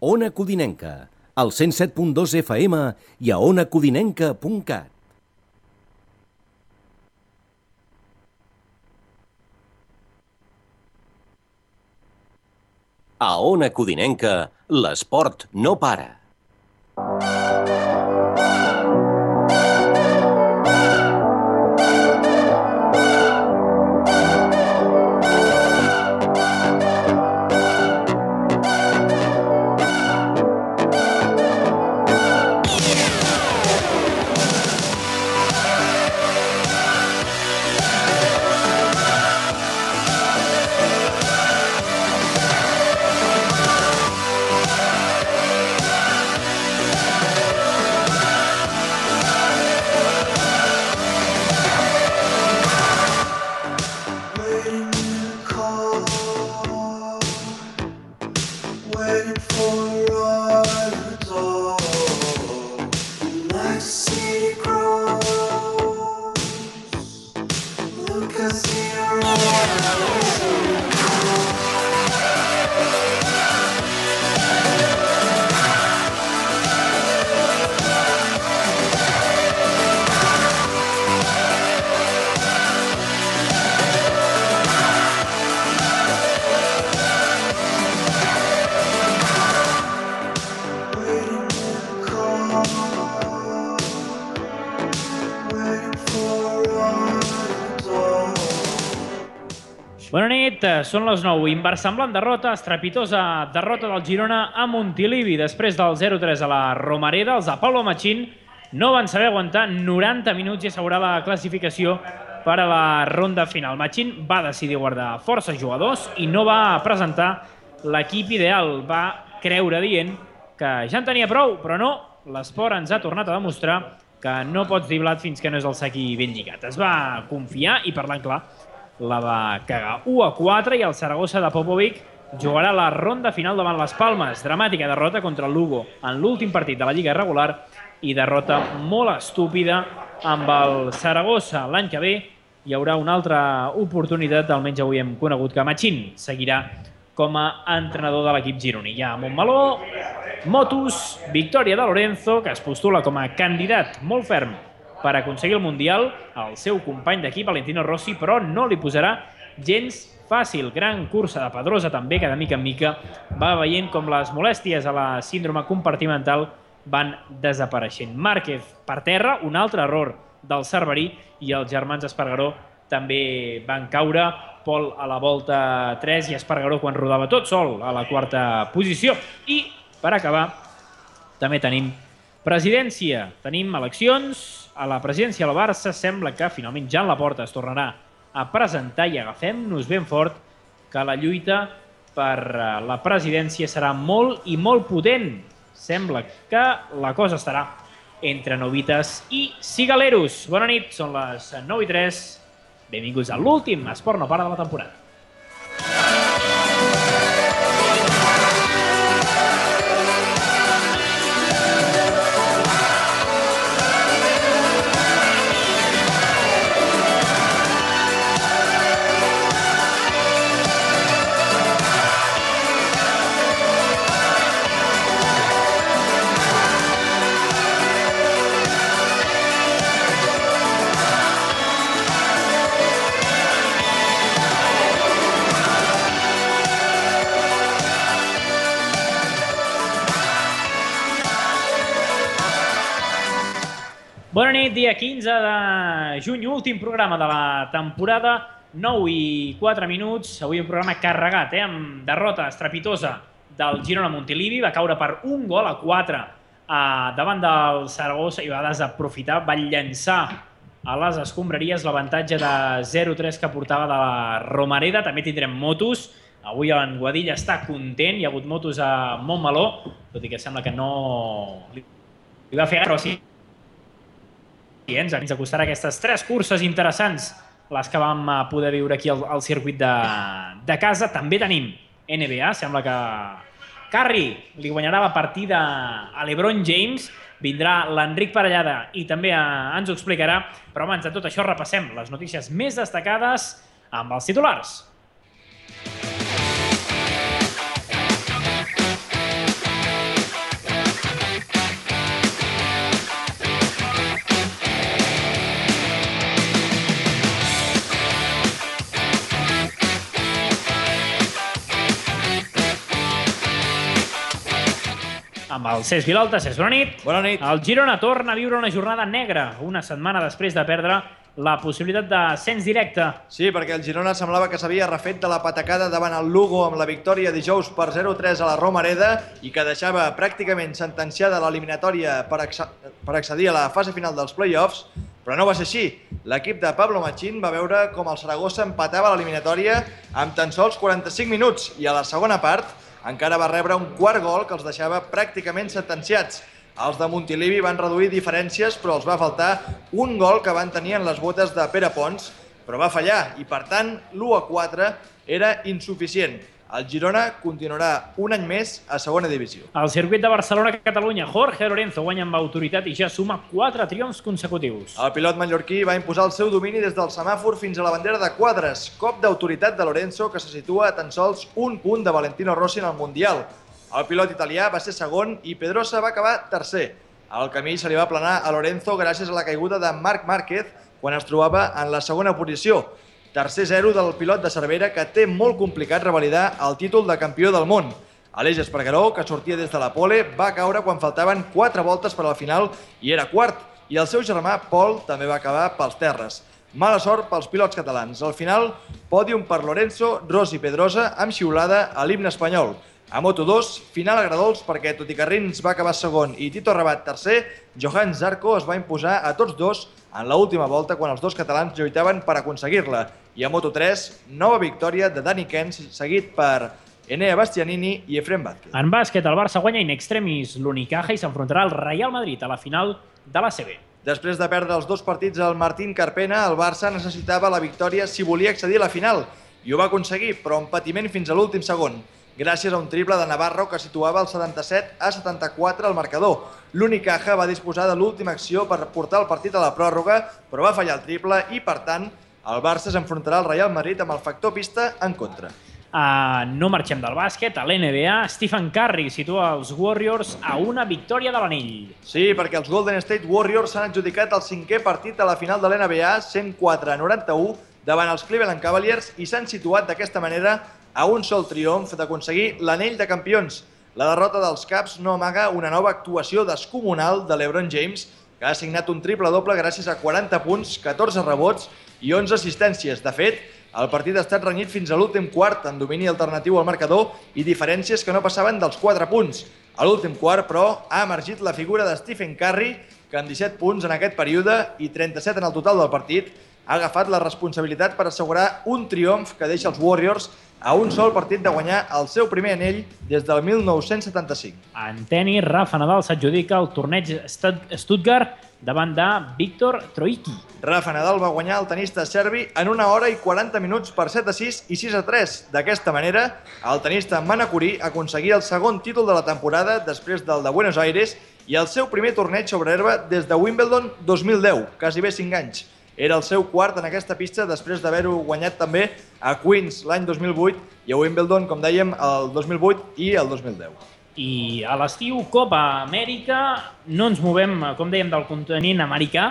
Ona Codinenca, al 107.2 FM i a onacodinenca.cat. A Ona Codinenca, l'esport no para. Bona nit, són les 9. Inversemblant derrota, estrepitosa derrota del Girona a Montilivi. Després del 0-3 a la Romareda, els de Pablo Machín no van saber aguantar 90 minuts i assegurar la classificació per a la ronda final. Machín va decidir guardar força jugadors i no va presentar l'equip ideal. Va creure dient que ja en tenia prou, però no. L'esport ens ha tornat a demostrar que no pots dir blat fins que no és el sac ben lligat. Es va confiar i, parlant clar, la va cagar 1-4 i el Saragossa de Popovic jugarà la ronda final davant les Palmes. Dramàtica derrota contra el Lugo en l'últim partit de la Lliga regular i derrota molt estúpida amb el Saragossa. L'any que ve hi haurà una altra oportunitat, almenys avui hem conegut que Machín seguirà com a entrenador de l'equip gironí. Hi ha Montmeló, Motus, victòria de Lorenzo, que es postula com a candidat molt ferm per aconseguir el Mundial. El seu company d'equip, Valentino Rossi, però no li posarà gens fàcil. Gran cursa de Pedrosa també, que de mica en mica va veient com les molèsties a la síndrome compartimental van desapareixent. Márquez per terra, un altre error del Cerverí, i els germans Espargaró també van caure. Pol a la volta 3 i Espargaró quan rodava tot sol a la quarta posició. I, per acabar, també tenim presidència. Tenim eleccions. A la presidència del Barça sembla que finalment Joan Laporta es tornarà a presentar i agafem-nos ben fort que la lluita per la presidència serà molt i molt potent. Sembla que la cosa estarà entre novites i cigaleros. Bona nit, són les 9:03. Benvinguts a l'últim Esport no para de la temporada. Bona nit, dia 15 de juny, últim programa de la temporada, 9:04. Avui un programa carregat, amb derrota estrepitosa del Girona Montilivi. Va caure per 1-4 davant del Saragossa i va desaprofitar, va llançar a les escombraries l'avantatge de 0-3 que portava de la Romareda. També tindrem motos. Avui en Guadilla està content, hi ha hagut motos a Montmeló, tot i que sembla que no li va fer però sí. Ens acostarà aquestes 3 curses interessants, les que vam poder viure aquí al circuit de casa. També tenim NBA, sembla que Curry li guanyarà la partida a LeBron James, vindrà l'Enric Parellada i també ens ho explicarà, però abans de tot això repassem les notícies més destacades amb els titulars. Amb el Cesc Vilalta. Cesc, bona nit. Bona nit. El Girona torna a viure una jornada negra, una setmana després de perdre la possibilitat d'ascens directe. Sí, perquè el Girona semblava que s'havia refet de la patacada davant el Lugo amb la victòria dijous per 0-3 a la Romareda i que deixava pràcticament sentenciada l'eliminatòria per accedir a la fase final dels play-offs, però no va ser així. L'equip de Pablo Machín va veure com el Saragossa empatava l'eliminatòria amb tan sols 45 minuts i a la segona part encara va rebre un quart gol que els deixava pràcticament sentenciats. Els de Montilivi van reduir diferències, però els va faltar un gol que van tenir en les botes de Pere Pons, però va fallar i, per tant, l'1-4 era insuficient. El Girona continuarà un any més a segona divisió. Al circuit de Barcelona-Catalunya, Jorge Lorenzo guanya amb autoritat i ja suma 4 triomfs consecutius. El pilot mallorquí va imposar el seu domini des del semàfor fins a la bandera de quadres, cop d'autoritat de Lorenzo que se situa a tan sols un punt de Valentino Rossi en el Mundial. El pilot italià va ser segon i Pedrosa va acabar tercer. El camí se li va aplanar a Lorenzo gràcies a la caiguda de Marc Márquez quan es trobava en la segona posició. Tercer 0 del pilot de Cervera que té molt complicat revalidar el títol de campió del món. Aleix Espargaró, que sortia des de la pole, va caure quan faltaven 4 voltes per al final i era quart. I el seu germà, Pol, també va acabar pels terres. Mala sort pels pilots catalans. Al final, pòdium per Lorenzo, Ros i Pedrosa amb xiulada a l'himne espanyol. A Moto2, final a Gradols perquè, tot i que Rins va acabar segon i Tito Rabat tercer, Johan Zarco es va imposar a tots dos en l'última volta quan els dos catalans lluitaven per aconseguir-la. I a Moto3, nova victòria de Dani Kens, seguit per Enea Bastianini i Efrem Vázquez. En bàsquet, el Barça guanya in extremis l'Unicaja i s'enfrontarà al Real Madrid a la final de l'ACB. Després de perdre els 2 partits al Martín Carpena, el Barça necessitava la victòria si volia accedir a la final. I ho va aconseguir, però amb patiment fins a l'últim segon, gràcies a un triple de Navarro que situava el 77-74 al marcador. L'Unicaja va disposar de l'última acció per portar el partit a la pròrroga, però va fallar el triple i, per tant, el Barça s'enfrontarà al Real Madrid amb el factor pista en contra. No marxem del bàsquet. A l'NBA, Stephen Curry situa els Warriors a una victòria de l'anell. Sí, perquè els Golden State Warriors s'han adjudicat el 5è partit a la final de l'NBA, 104-91, davant els Cleveland Cavaliers i s'han situat d'aquesta manera a un sol triomf d'aconseguir l'anell de campions. La derrota dels Caps no amaga una nova actuació descomunal de LeBron James, que ha signat un triple-doble gràcies a 40 punts, 14 rebots i 11 assistències. De fet, el partit ha estat renyit fins a l'últim quart, amb domini alternatiu al marcador i diferències que no passaven dels 4 punts. A l'últim quart, però, ha emergit la figura de Stephen Curry, que amb 17 punts en aquest període i 37 en el total del partit, ha agafat la responsabilitat per assegurar un triomf que deixa els Warriors a un sol partit de guanyar el seu primer anell des del 1975. En tenis, Rafa Nadal s'adjudica el torneig Stuttgart davant de Viktor Troicki. Rafa Nadal va guanyar el tenista serbi en 1 hora i 40 minuts per 7-6 i 6-3. D'aquesta manera, el tenista manacorí aconseguia el segon títol de la temporada després del de Buenos Aires i el seu primer torneig sobre herba des de Wimbledon 2010, quasi bé 5 anys. Era el seu quart en aquesta pista després d'haver-ho guanyat també a Queens l'any 2008 i a Wimbledon, com dèiem, el 2008 i el 2010. I a l'estiu, Copa Amèrica, no ens movem, com dèiem, del continent americà.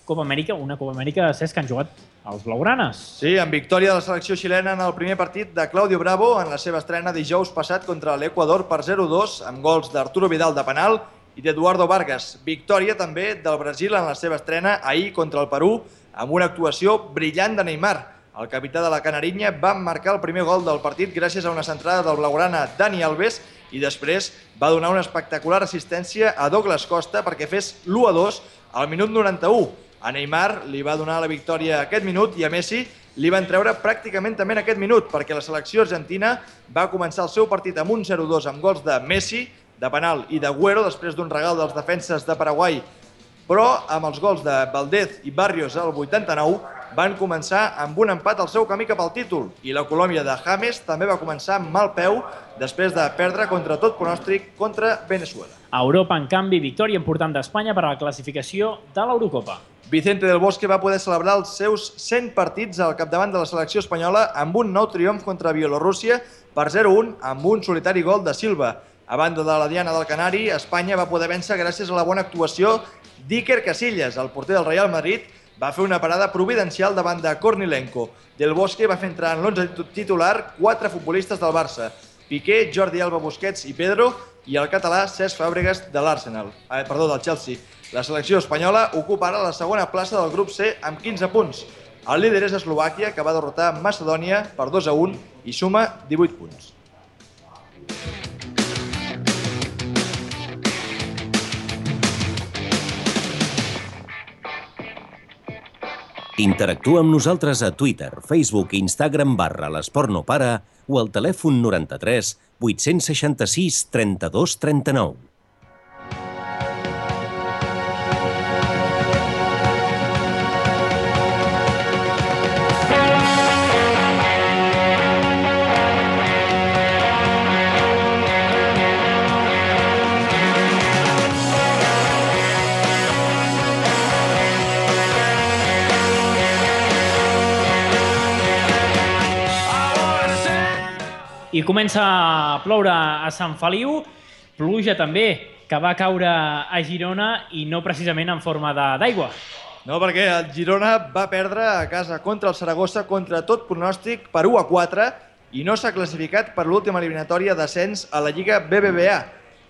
Copa Amèrica, una Copa Amèrica, Cesc, que han jugat els blaugranes. Sí, amb victòria de la selecció xilena en el primer partit de Claudio Bravo en la seva estrena dijous passat contra l'Equador per 0-2 amb gols d'Arturo Vidal de penal i d'Eduardo Vargas. Victòria també del Brasil en la seva estrena ahir contra el Perú amb una actuació brillant de Neymar. El capità de la Canarinya va marcar el primer gol del partit gràcies a una centrada del blaugrana Dani Alves i després va donar una espectacular assistència a Douglas Costa perquè fes l'1-2 al minut 91. A Neymar li va donar la victòria aquest minut i a Messi li van treure pràcticament també en aquest minut perquè la selecció argentina va començar el seu partit amb un 0-2 amb gols de Messi, de penal i d'Agüero després d'un regal dels defenses de Paraguai, però amb els gols de Valdez i Barrios al 89 van començar amb un empat al seu camí cap al títol i la Colòmbia de James també va començar amb mal peu després de perdre contra tot pronòstic contra Venezuela. A Europa, en canvi, victòria important d'Espanya per a la classificació de l'Eurocopa. Vicente del Bosque va poder celebrar els seus 100 partits al capdavant de la selecció espanyola amb un nou triomf contra Bielorússia per 0-1 amb un solitari gol de Silva. A banda de la diana del Canari, Espanya va poder vèncer gràcies a la bona actuació d'Iker Casillas, el porter del Real Madrid, va fer una parada providencial davant de Kornilenko. Del Bosque va fer entrar en l'11 titular 4 futbolistes del Barça. Piqué, Jordi Alba, Busquets i Pedro i el català Cesc Fàbregas del Chelsea. La selecció espanyola ocupa ara la segona plaça del grup C amb 15 punts. El líder és Eslovàquia, que va derrotar Macedònia per 2-1 i suma 18 punts. Interactua amb nosaltres a Twitter, Facebook i Instagram /l'Esport no para o al telèfon 93 866 32 39. I comença a ploure a Sant Feliu, pluja també que va caure a Girona i no precisament en forma d'aigua. No, perquè el Girona va perdre a casa contra el Saragossa contra tot pronòstic per 1-4 i no s'ha classificat per l'última eliminatòria d'ascens a la Lliga BBVA.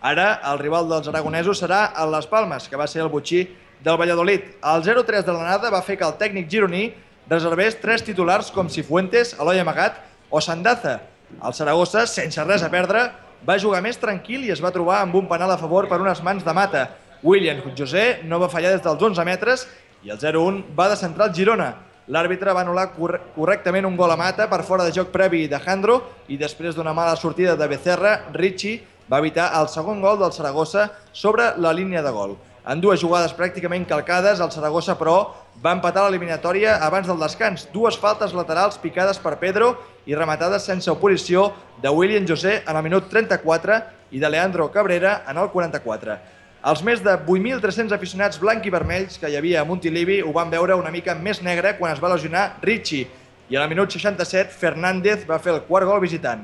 Ara el rival dels aragonesos serà el Las Palmas, que va ser el botxí del Valladolid. El 0-3 de l'anada va fer que el tècnic gironí reservés 3 titulars com Cifuentes, Eloi Amagat o Sandaza. El Saragossa, sense res a perdre, va jugar més tranquil i es va trobar amb un penal a favor per unes mans de Mata. William José no va fallar des dels 11 metres i el 0-1 va descentrar el Girona. L'àrbitre va anul·lar correctament un gol a Mata per fora de joc previ d'Alejandro i després d'una mala sortida de Becerra, Ricci va evitar el segon gol del Saragossa sobre la línia de gol. En dues jugades pràcticament calcades, el Saragossa, però, va empatar l'eliminatòria abans del descans. Dues faltes laterals picades per Pedro i rematades sense oposició de William José en el minut 34 i de Leandro Cabrera en el 44. Els més de 8.300 aficionats blanc i vermells que hi havia a Montilivi ho van veure una mica més negre quan es va lesionar Ricci i al minut 67 Fernández va fer el quart gol visitant.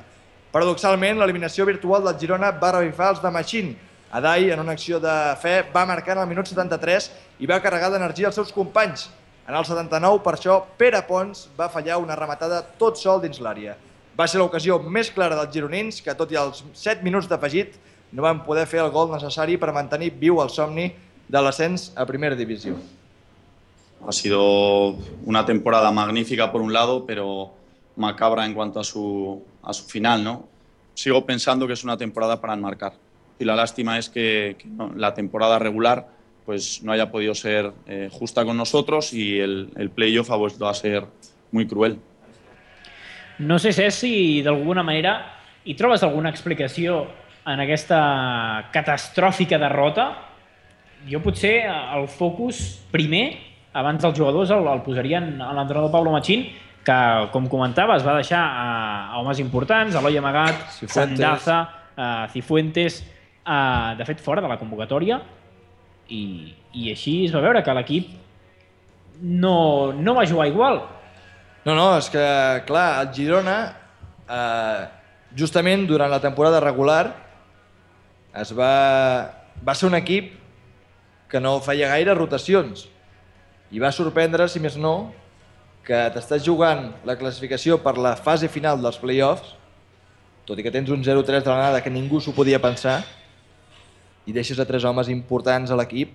Paradoxalment, l'eliminació virtual del Girona va revifar els de Machín. Adai, en una acció de fe, va marcar en el minut 73 i va carregar d'energia els seus companys. En el 79, per això, Pere Pons va fallar una rematada tot sol dins l'àrea. Va ser l'ocasió més clara dels gironins, que tot i els 7 minuts d'afegit no van poder fer el gol necessari per mantenir viu el somni de l'ascens a primera divisió. Ha sido una temporada magnífica por un lado, pero macabra en cuanto a su final, ¿no? Sigo pensando que es una temporada para enmarcar. Y la lástima es que la temporada regular pues no haya podido ser justa con nosotros y el playoff ha vuelto a ser muy cruel. No sé, Cesc, si d'alguna manera hi trobes alguna explicació en aquesta catastròfica derrota. Jo potser el focus primer, abans dels jugadors, el posarien a l'entrenador Pablo Machín, que, com comentava, es va deixar a homes importants, Eloi Amagat, Sandaza, Cifuentes, de fet fora de la convocatòria, i així es va veure que l'equip no va jugar igual. No, és que, clar, el Girona, justament durant la temporada regular, va ser un equip que no feia gaire rotacions i va sorprendre, si més no, que t'estàs jugant la classificació per la fase final dels play-offs, tot i que tens un 0-3 de l'anada que ningú s'ho podia pensar, i deixes a 3 homes importants a l'equip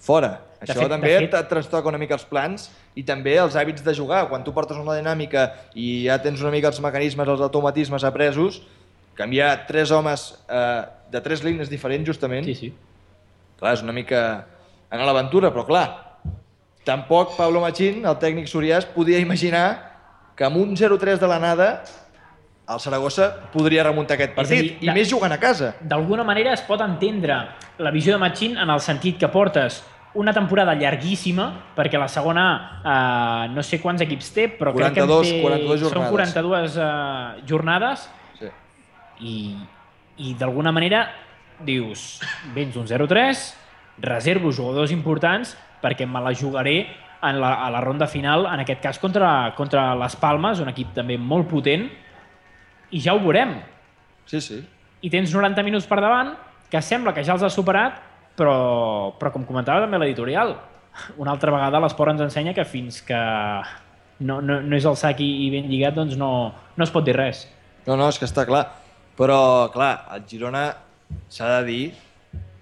fora. Això també et trastoca una mica els plans i també els hàbits de jugar. Quan tu portes una dinàmica i ja tens una mica els mecanismes, els automatismes apresos, canviar 3 homes de 3 línies diferents, justament, clar, és una mica anar a l'aventura, però clar, tampoc Pablo Machín, el tècnic sorià, podia imaginar que amb un 0-3 de l'anada el Saragossa podria remuntar aquest partit, i més jugant a casa. D'alguna manera es pot entendre la visió de Machín en el sentit que portes una temporada llarguíssima, perquè la segona no sé quants equips té, però crec que són 42 jornades, i d'alguna manera dius, vens un 0-3, reservo jugadors importants perquè me la jugaré a la ronda final, en aquest cas contra les Palmes, un equip també molt potent, i ja ho veurem. Sí. I tens 90 minuts per davant, que sembla que ja els has superat, però com comentava també l'editorial, una altra vegada l'esport ens ensenya que fins que no és el sac i ben lligat, doncs no es pot dir res. No, és que està clar. Però, clar, el Girona s'ha de dir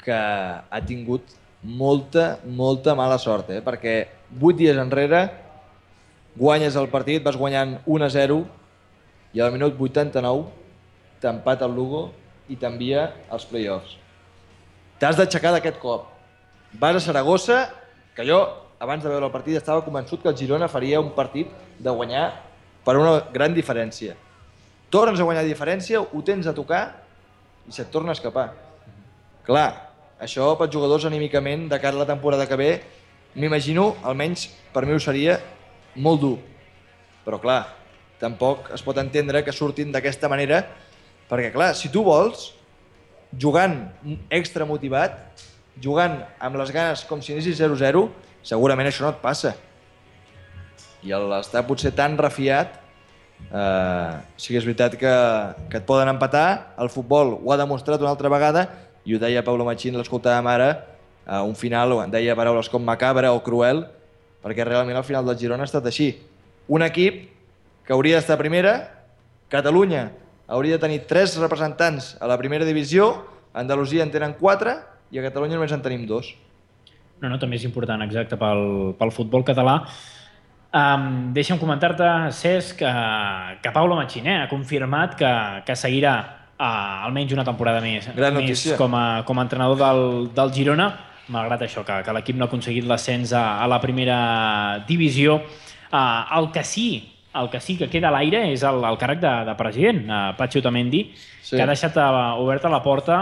que ha tingut molta mala sort, perquè 8 dies enrere guanyes el partit, vas guanyant 1-0 i al minut 89 t'empata el Lugo i t'envia als play-offs. T'has d'aixecar d'aquest cop. Vas a Saragossa, que jo, abans de veure el partit, estava convençut que el Girona faria un partit de guanyar per una gran diferència. Tornes a guanyar diferència, ho tens a tocar i se't torna a escapar. Clar, això pels jugadors anímicament de cara a la temporada que ve, m'imagino, almenys per mi ho seria, molt dur. Però clar, tampoc es pot entendre que surtin d'aquesta manera, perquè clar, si tu vols, jugant extra motivat, jugant amb les ganes com si anessis 0-0, segurament això no et passa. I l'estar potser tan refiat, sí que és veritat que et poden empatar, el futbol ho ha demostrat una altra vegada, i ho deia Pablo Machín, l'escoltàvem ara, a un final deia paraules com macabra o cruel, perquè realment el final del Girona ha estat així. Un equip que hauria d'estar a primera, Catalunya hauria de tenir 3 representants a la primera divisió, a Andalusia en tenen 4 i a Catalunya només en tenim 2. No, també és important, exacte, pel futbol català. Deixa'm comentar-te, Cesc, que Pablo Machín ha confirmat que seguirà almenys una temporada més com a entrenador del Girona, malgrat això, que l'equip no ha aconseguit l'ascens a la primera divisió. El que sí que queda a l'aire és el càrrec de president, Patxi Otamendi, que ha deixat oberta la porta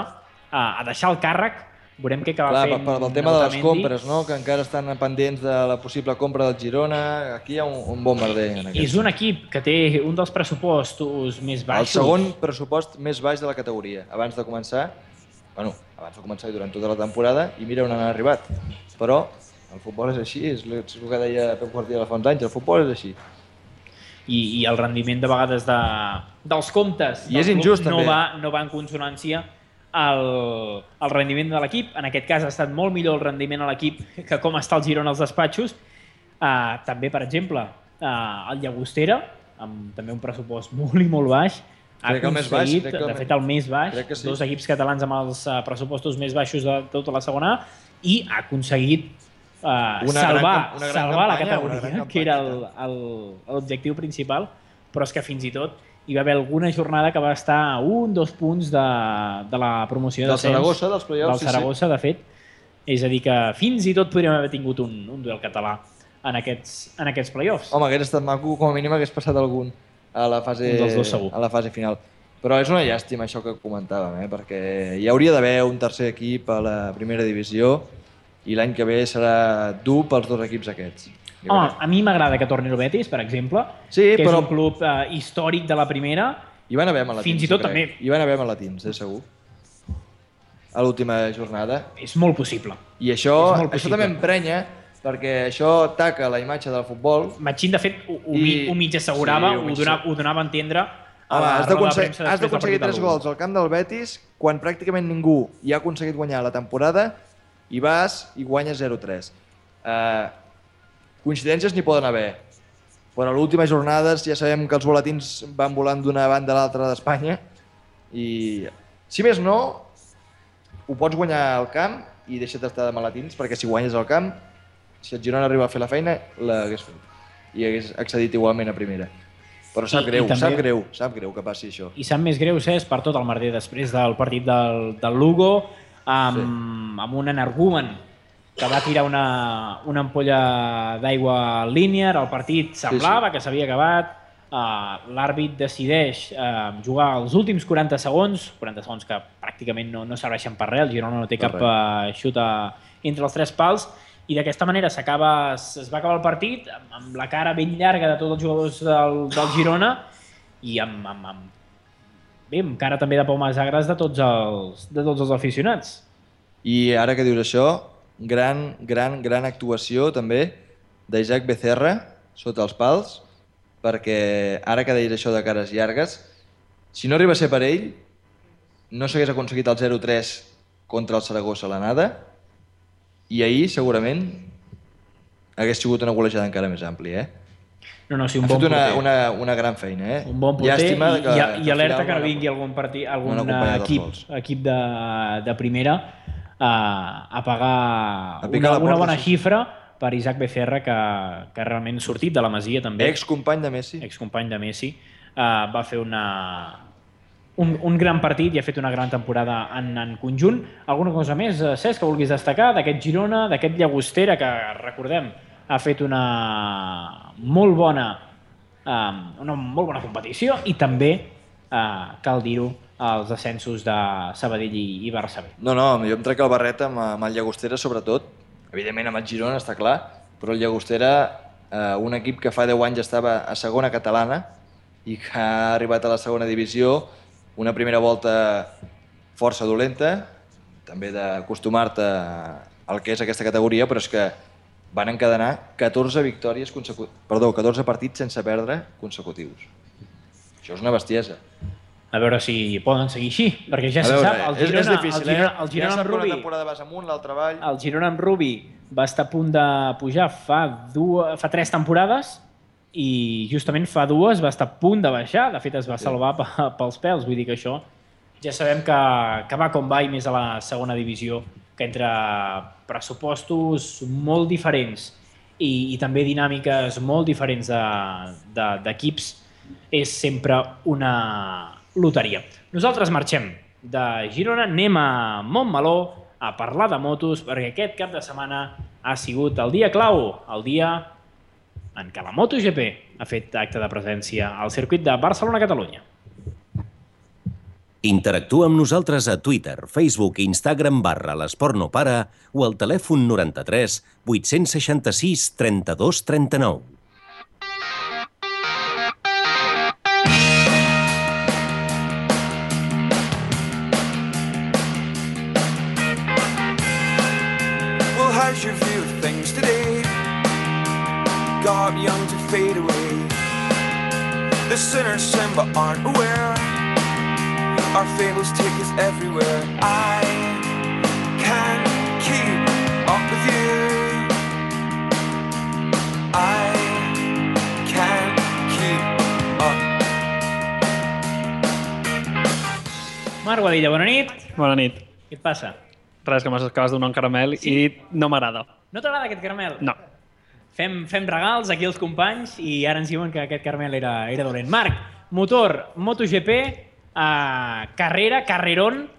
a deixar el càrrec. Veurem què acaba fent Otamendi. Pel tema de les compres, que encara estan pendents de la possible compra del Girona, aquí hi ha un bombarder. És un equip que té un dels pressupostos més baixos. El segon pressupost més baix de la categoria, abans de començar i durant tota la temporada, i mira on han arribat. Però el futbol és així, és el que deia Pep Guardiola fa uns anys, el futbol és així. I el rendiment de vegades dels comptes i és injust, no va en consonància el rendiment de l'equip. En aquest cas ha estat molt millor el rendiment a l'equip que com està el Girona als despatxos. També, per exemple, el Llagostera, amb també un pressupost molt i molt baix, ha aconseguit, de fet el més baix, dos equips catalans amb els pressupostos més baixos de tota la segona A, i ha aconseguit salvar la categoria, que era l'objectiu principal, però és que fins i tot hi va haver alguna jornada que va estar a 1-2 punts de la promoció del Saragossa, dels play-offs. Del Saragossa, de fet. És a dir, que fins i tot podríem haver tingut un duel català en aquests play-offs. Home, hagués estat maco, com a mínim hagués passat algun a la fase final. Però és una llàstima això que comentàvem, perquè hi hauria d'haver un tercer equip a la primera divisió i l'any que ve serà dur pels dos equips aquests. Home, a mi m'agrada que torni el Betis, per exemple, que és un club històric de la primera. Hi van haver malatins, fins i tot també. Hi van haver malatins, segur. A l'última jornada. És molt possible. I això també emprenya, perquè això ataca la imatge del futbol. Machín, de fet, ho mig assegurava, ho donava a entendre. Has d'aconseguir 3 gols al camp del Betis quan pràcticament ningú hi ha aconseguit guanyar la temporada i vas i guanyes 0-3. Coincidències n'hi poden haver, però a l'última jornada ja sabem que els boletins van volant d'una banda a l'altra d'Espanya i, si més no, ho pots guanyar al camp i deixa't d'estar de malatins, perquè si guanyes al camp, si el Girona arriba a fer la feina, l'hagués fet i hagués accedit igualment a primera. Però sap greu que passi això. I sap més greu, Cesc, per tot el merder després del partit del Lugo, amb un energumen que va tirar una ampolla d'aigua linear, el partit semblava que s'havia acabat, l'àrbit decideix jugar els últims 40 segons que pràcticament no serveixen per res, el Girona no té cap xut entre els 3 pals, i d'aquesta manera es va acabar el partit amb la cara ben llarga de tots els jugadors del Girona i amb cara també de pomes agres de tots els aficionats. I ara que dius això, gran actuació també d'Isaac Becerra sota els pals, perquè ara que deies això de cares llargues, si no arriba a ser per ell, no s'hagués aconseguit el 0-3 contra el Saragossa a l'anada i ahir segurament hagués sigut una golejada encara més àmplia. No, sí, un Ha bon fet porter. una gran feina, Un bon porter Llàstima i alerta al que no final vingui algun no han acompanyat els gols. equip de primera a pagar A picar la una porta, bona sí. xifra per Isaac Becerra, que realment sortit de la Masia també. Excompany de Messi. Excompany de Messi. Va fer un gran partit i ha fet una gran temporada en conjunt. Alguna cosa més, Cesc, que vulguis destacar d'aquest Girona, d'aquest Llagostera, que recordem ha fet una molt bona competició i també, cal dir-ho, els ascensos de Sabadell i Barça B. No, jo em trec el barret amb el Llagostera, sobretot. Evidentment amb el Girona, està clar, però el Llagostera, un equip que fa 10 anys estava a segona catalana i que ha arribat a la segona divisió, una primera volta força dolenta, també d'acostumar-te al que és aquesta categoria, però és que van encadenar 14 partits sense perdre consecutius. Això és una bestiesa. A veure si poden seguir així, perquè ja se sap, és difícil, el Girona amb Rubi... Una temporada vas amunt, l'altra avall... El Girona amb Rubi va estar a punt de pujar fa 3 temporades i justament fa 2 va estar a punt de baixar, de fet es va salvar pels pèls, vull dir que això ja sabem que va com va i més a la segona divisió, que entre pressupostos molt diferents i també dinàmiques molt diferents d'equips és sempre una loteria. Nosaltres marxem de Girona, anem a Montmeló a parlar de motos perquè aquest cap de setmana ha sigut el dia clau, el dia en què la MotoGP ha fet acte de presència al circuit de Barcelona-Catalunya. Interactua amb nosaltres a Twitter, Facebook i Instagram /l'Esport no para o al telèfon 93 866 32 39. Well, how's your view of things today? God young to fade away. The sinners sin but aren't aware. Our fables take us everywhere. I can't keep up with you. I can't keep up. Marc Guadilla, bona nit. Bona nit. Què et passa? Res, que m'acabes de donar un caramel i no m'agrada. No t'agrada aquest caramel? No. Fem regals aquí als companys i ara ens diuen que aquest caramel era dolent. Marc, motor, MotoGP, carrerón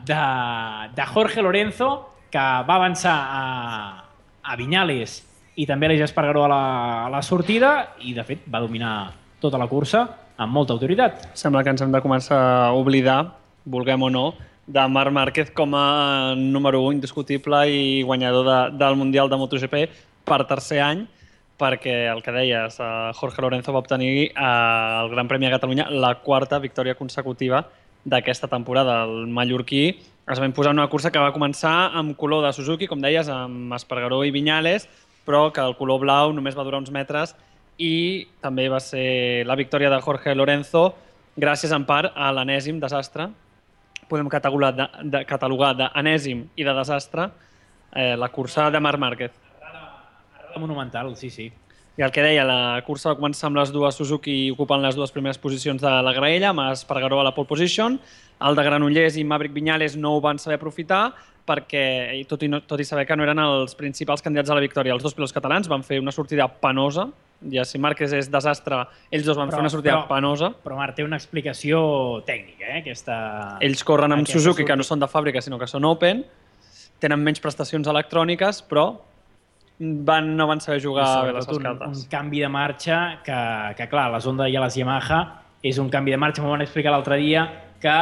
de Jorge Lorenzo, que va avançar a Viñales i també a l'Eix Espargaró a la sortida i, de fet, va dominar tota la cursa amb molta autoritat. Sembla que ens hem de començar a oblidar, vulguem o no, de Marc Márquez com a número 1 indiscutible i guanyador del Mundial de MotoGP per tercer any, perquè el que deies, Jorge Lorenzo va obtenir al Gran Premi de Catalunya la 4ª victòria consecutiva d'aquesta temporada. El mallorquí es va imposar una cursa que va començar amb color de Suzuki, com deies, amb Espargaró i Viñales, però que el color blau només va durar uns metres i també va ser la victòria de Jorge Lorenzo gràcies en part a l'enèsim desastre. Podem catalogar d'enèsim i de desastre la cursa de Marc Márquez. Monumental, sí. I el que deia, la cursa va començar amb les dues Suzuki ocupant les 2 primeres posicions de la graella, amb Espargaró a la pole position. El de Granollers i Maverick Viñales no ho van saber aprofitar perquè, tot i saber que no eren els principals candidats a la victòria, els 2 pilots catalans van fer una sortida penosa. Ja si Márquez és desastre, ells 2 van fer una sortida penosa. Però Marc, té una explicació tècnica, Ells corren amb Suzuki, que no són de fàbrica, sinó que són Open, tenen menys prestacions electròniques, però no van saber jugar bé les cartes. Un canvi de marxa que clar, les Honda i les Yamaha és un canvi de marxa, m'ho van explicar l'altre dia, que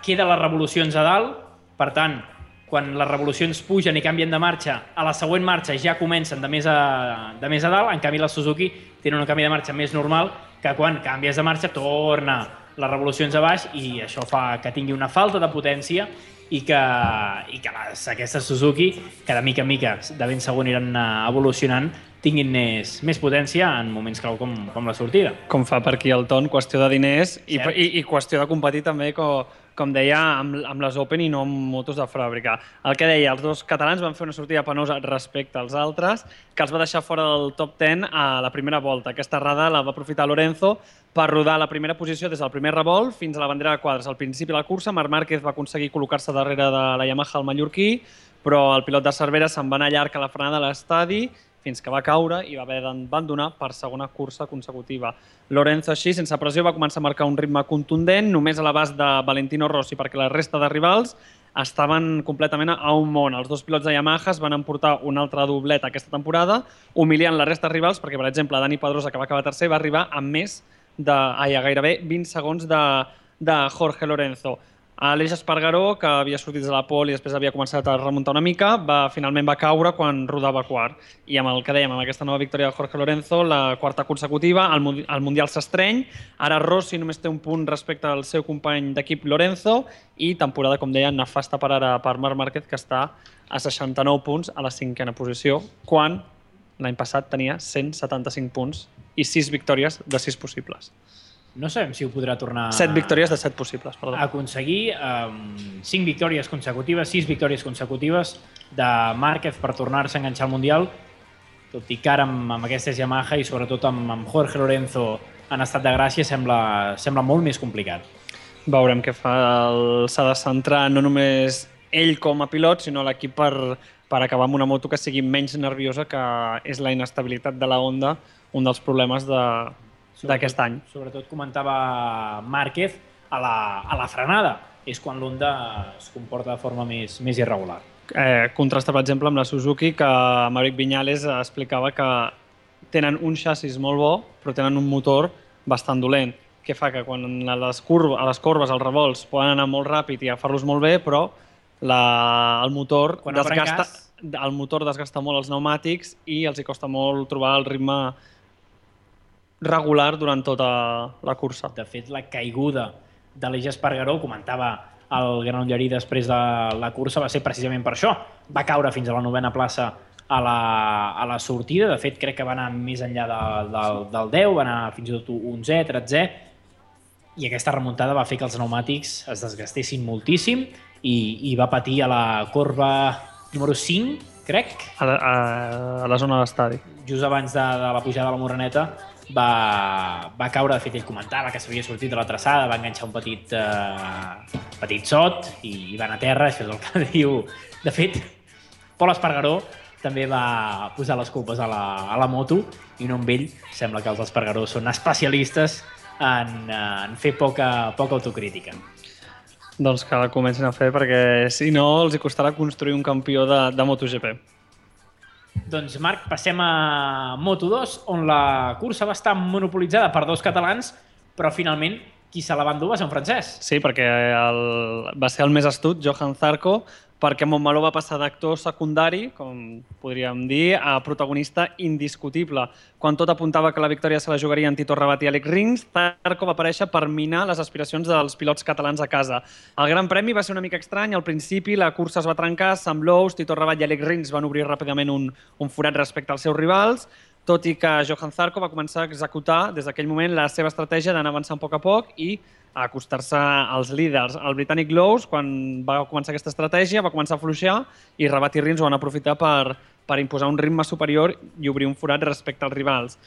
queda les revolucions a dalt, per tant, quan les revolucions pugen i canvien de marxa, a la següent marxa ja comencen de més a dalt, en canvi la Suzuki tenen un canvi de marxa més normal, que quan canvies de marxa torna les revolucions a baix i això fa que tingui una falta de potència i que aquestes Suzuki, que de mica en mica de ben segur aniran evolucionant, tinguin més potència en moments clau com la sortida. Com fa per aquí el Ton, qüestió de diners i qüestió de competir també com deia, amb les Open i no amb motos de fàbrica. El que deia, els dos catalans van fer una sortida penosa respecte als altres, que els va deixar fora del top 10 a la primera volta. Aquesta errada la va aprofitar Lorenzo per rodar la primera posició des del primer revolt fins a la bandera de quadres. Al principi de la cursa, Marc Márquez va aconseguir col·locar-se darrere de la Yamaha al mallorquí, però el pilot de Cervera se'n va anar llarg a la frenada a l'estadi fins que va caure i va haver d'abandonar per segona cursa consecutiva. Lorenzo, així, sense pressió, va començar a marcar un ritme contundent, només a l'abast de Valentino Rossi, perquè la resta de rivals estaven completament a un món. Els dos pilots de Yamaha van emportar un altre doblet aquesta temporada, humiliant la resta de rivals, perquè, per exemple, Dani Pedrosa, que va acabar tercer, va arribar a gairebé 20 segons de Jorge Lorenzo. Aleix Espargaró, que havia sortit de la pole i després havia començat a remuntar una mica, finalment va caure quan rodava quart. I amb el que dèiem, amb aquesta nova victòria de Jorge Lorenzo, la quarta consecutiva, el Mundial s'estreny. Ara Rossi només té un punt respecte al seu company d'equip Lorenzo i temporada, com deia, nefasta per ara per Marc Márquez, que està a 69 punts a la cinquena posició, quan l'any passat tenia 175 punts i 6 victòries de 6 possibles. No sabem si ho podrà tornar... 7 victòries de 7 possibles, perdó. Aconseguir 5 victòries consecutives, 6 victòries consecutives de Márquez per tornar-se a enganxar al Mundial, tot i que ara amb aquestes Yamaha i sobretot amb Jorge Lorenzo en estat de gràcia sembla molt més complicat. Veurem què fa. S'ha de centrar no només ell com a pilot, sinó l'equip per acabar amb una moto que sigui menys nerviosa, que és la inestabilitat de la Honda, un dels problemes d'aquest any. Sobretot comentava Márquez a la frenada. És quan l'Honda es comporta de forma més irregular. Contrasta, per exemple, amb la Suzuki, que Maverick Viñales explicava que tenen un xassis molt bo, però tenen un motor bastant dolent. Què fa? Que quan a les corbes, als revolts, poden anar molt ràpid i agafar-los molt bé, però el motor desgasta molt els pneumàtics i els hi costa molt trobar el ritme regular durant tota la cursa. De fet, la caiguda d'Aleix Espargaró, comentava el Granollerí després de la cursa, va ser precisament per això. Va caure fins a la 9a plaça a la sortida. De fet, crec que va anar més enllà del 10, va anar fins i tot 11, 13, i aquesta remuntada va fer que els pneumàtics es desgastessin moltíssim i va patir a la corba número 5, crec. A la zona de l'estadi. Just abans de la pujada de la Moreneta, va caure. De fet, ell comentava que s'havia sortit de la traçada, va enganxar un petit sot i va anar a terra. Això és el que diu. De fet, Pol Espargaró també va posar les culpes a la moto i no amb ell. Sembla que els Espargaró són especialistes en fer poca autocrítica. Doncs que la comencin a fer, perquè si no els hi costarà construir un campió de MotoGP. Doncs, Marc, passem a Moto2, on la cursa va estar monopolitzada per dos catalans, però finalment qui se la va endur va ser un francès. Sí, perquè va ser el més astut, Johan Zarco, perquè Montmeló va passar d'actor secundari, com podríem dir, a protagonista indiscutible. Quan tot apuntava que la victòria se la jugarien Tito Rabat i Alex Rins, Zarco va aparèixer per minar les aspiracions dels pilots catalans a casa. El Gran Premi va ser una mica estrany. Al principi la cursa es va trencar, Sam Lowe's, Tito Rabat i Alex Rins van obrir ràpidament un forat respecte als seus rivals, tot i que Johan Zarco va començar a executar des d'aquell moment la seva estratègia d'anar avançant a poc i a acostar-se als líders. El britànic Lowe's, quan va començar aquesta estratègia, va començar a fluixar i Rabat i Rins ho van aprofitar per imposar un ritme superior i obrir un forat respecte als rivals.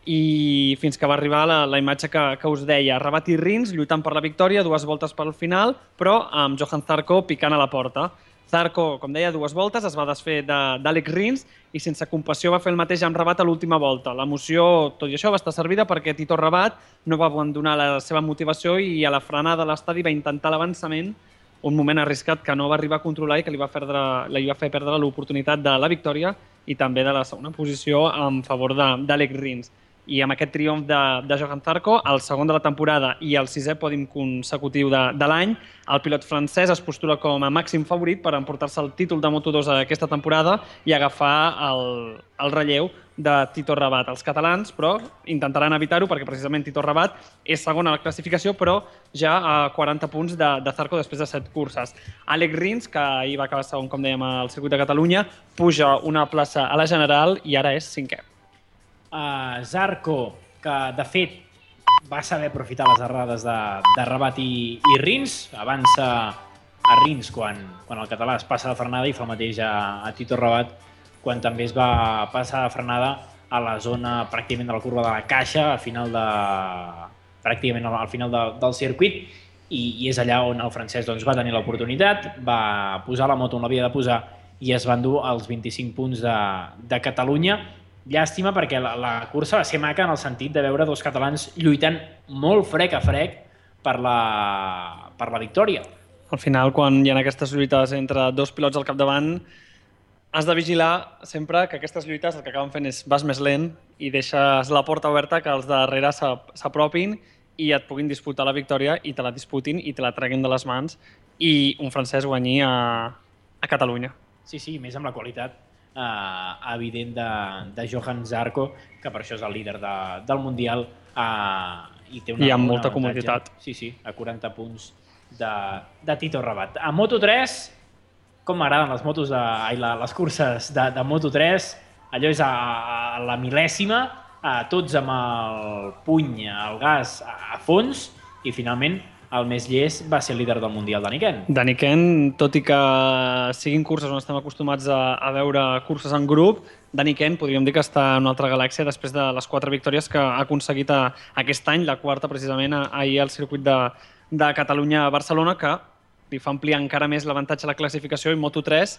I fins que va arribar la imatge que us deia. Rabat i Rins lluitant per la victòria, 2 voltes pel final, però amb Johan Zarco picant a la porta. Zarco, com deia, 2 voltes, es va desfer d'Alex Rins i sense compassió va fer el mateix amb Rabat a l'última volta. L'emoció, tot i això, va estar servida perquè Tito Rabat no va abandonar la seva motivació i a la frenada de l'estadi va intentar l'avançament, un moment arriscat que no va arribar a controlar i que li va fer perdre l'oportunitat de la victòria i també de la segona posició en favor d'Alex Rins. I amb aquest triomf de Johan Zarco, el segon de la temporada i el 6è pòdium consecutiu de l'any, el pilot francès es postula com a màxim favorit per emportar-se el títol de Moto2 aquesta temporada i agafar el relleu de Tito Rabat. Els catalans, però, intentaran evitar-ho perquè precisament Tito Rabat és segon a la classificació, però ja a 40 punts de Zarco després de 7 curses. Alex Rins, que ahir va acabar segon, com dèiem, al circuit de Catalunya, puja una plaça a la general i ara és 5è. Zarco, que de fet va saber aprofitar les errades de Rabat i Rins. Avança a Rins quan el català es passa de frenada i fa el mateix a Tito Rabat quan també es va passar de frenada a la zona pràcticament de la curva de la caixa, al final del circuit, i és allà on el francès doncs, va tenir l'oportunitat, va posar la moto on l'havia de posar i es van dur els 25 punts de Catalunya. Llàstima perquè la cursa va ser maca en el sentit de veure dos catalans lluitant molt frec a frec per la victòria. Al final, quan hi ha aquestes lluites entre dos pilots al capdavant, has de vigilar sempre que aquestes lluites el que acaben fent és vas més lent i deixes la porta oberta que els darrere s'apropin i et puguin disputar la victòria i te la disputin i te la treguin de les mans i un francès guanyi a Catalunya. Sí, més amb la qualitat evident de Johan Zarco, que per això és el líder del Mundial i té amb molta comoditat. Sí, a 40 punts de Tito Rabat. A Moto3, com m'agraden les curses de Moto3, allò és a la mil·lèsima, tots amb el puny, el gas a fons, i finalment el més llest va ser el líder del Mundial, Dani Ken. Dani Ken, tot i que siguin curses on estem acostumats a veure curses en grup, Dani Ken podríem dir que està en una altra galàxia després de les 4 victòries que ha aconseguit aquest any, la quarta precisament ahir al circuit de Catalunya a Barcelona, que li fa ampliar encara més l'avantatge a la classificació i Moto3,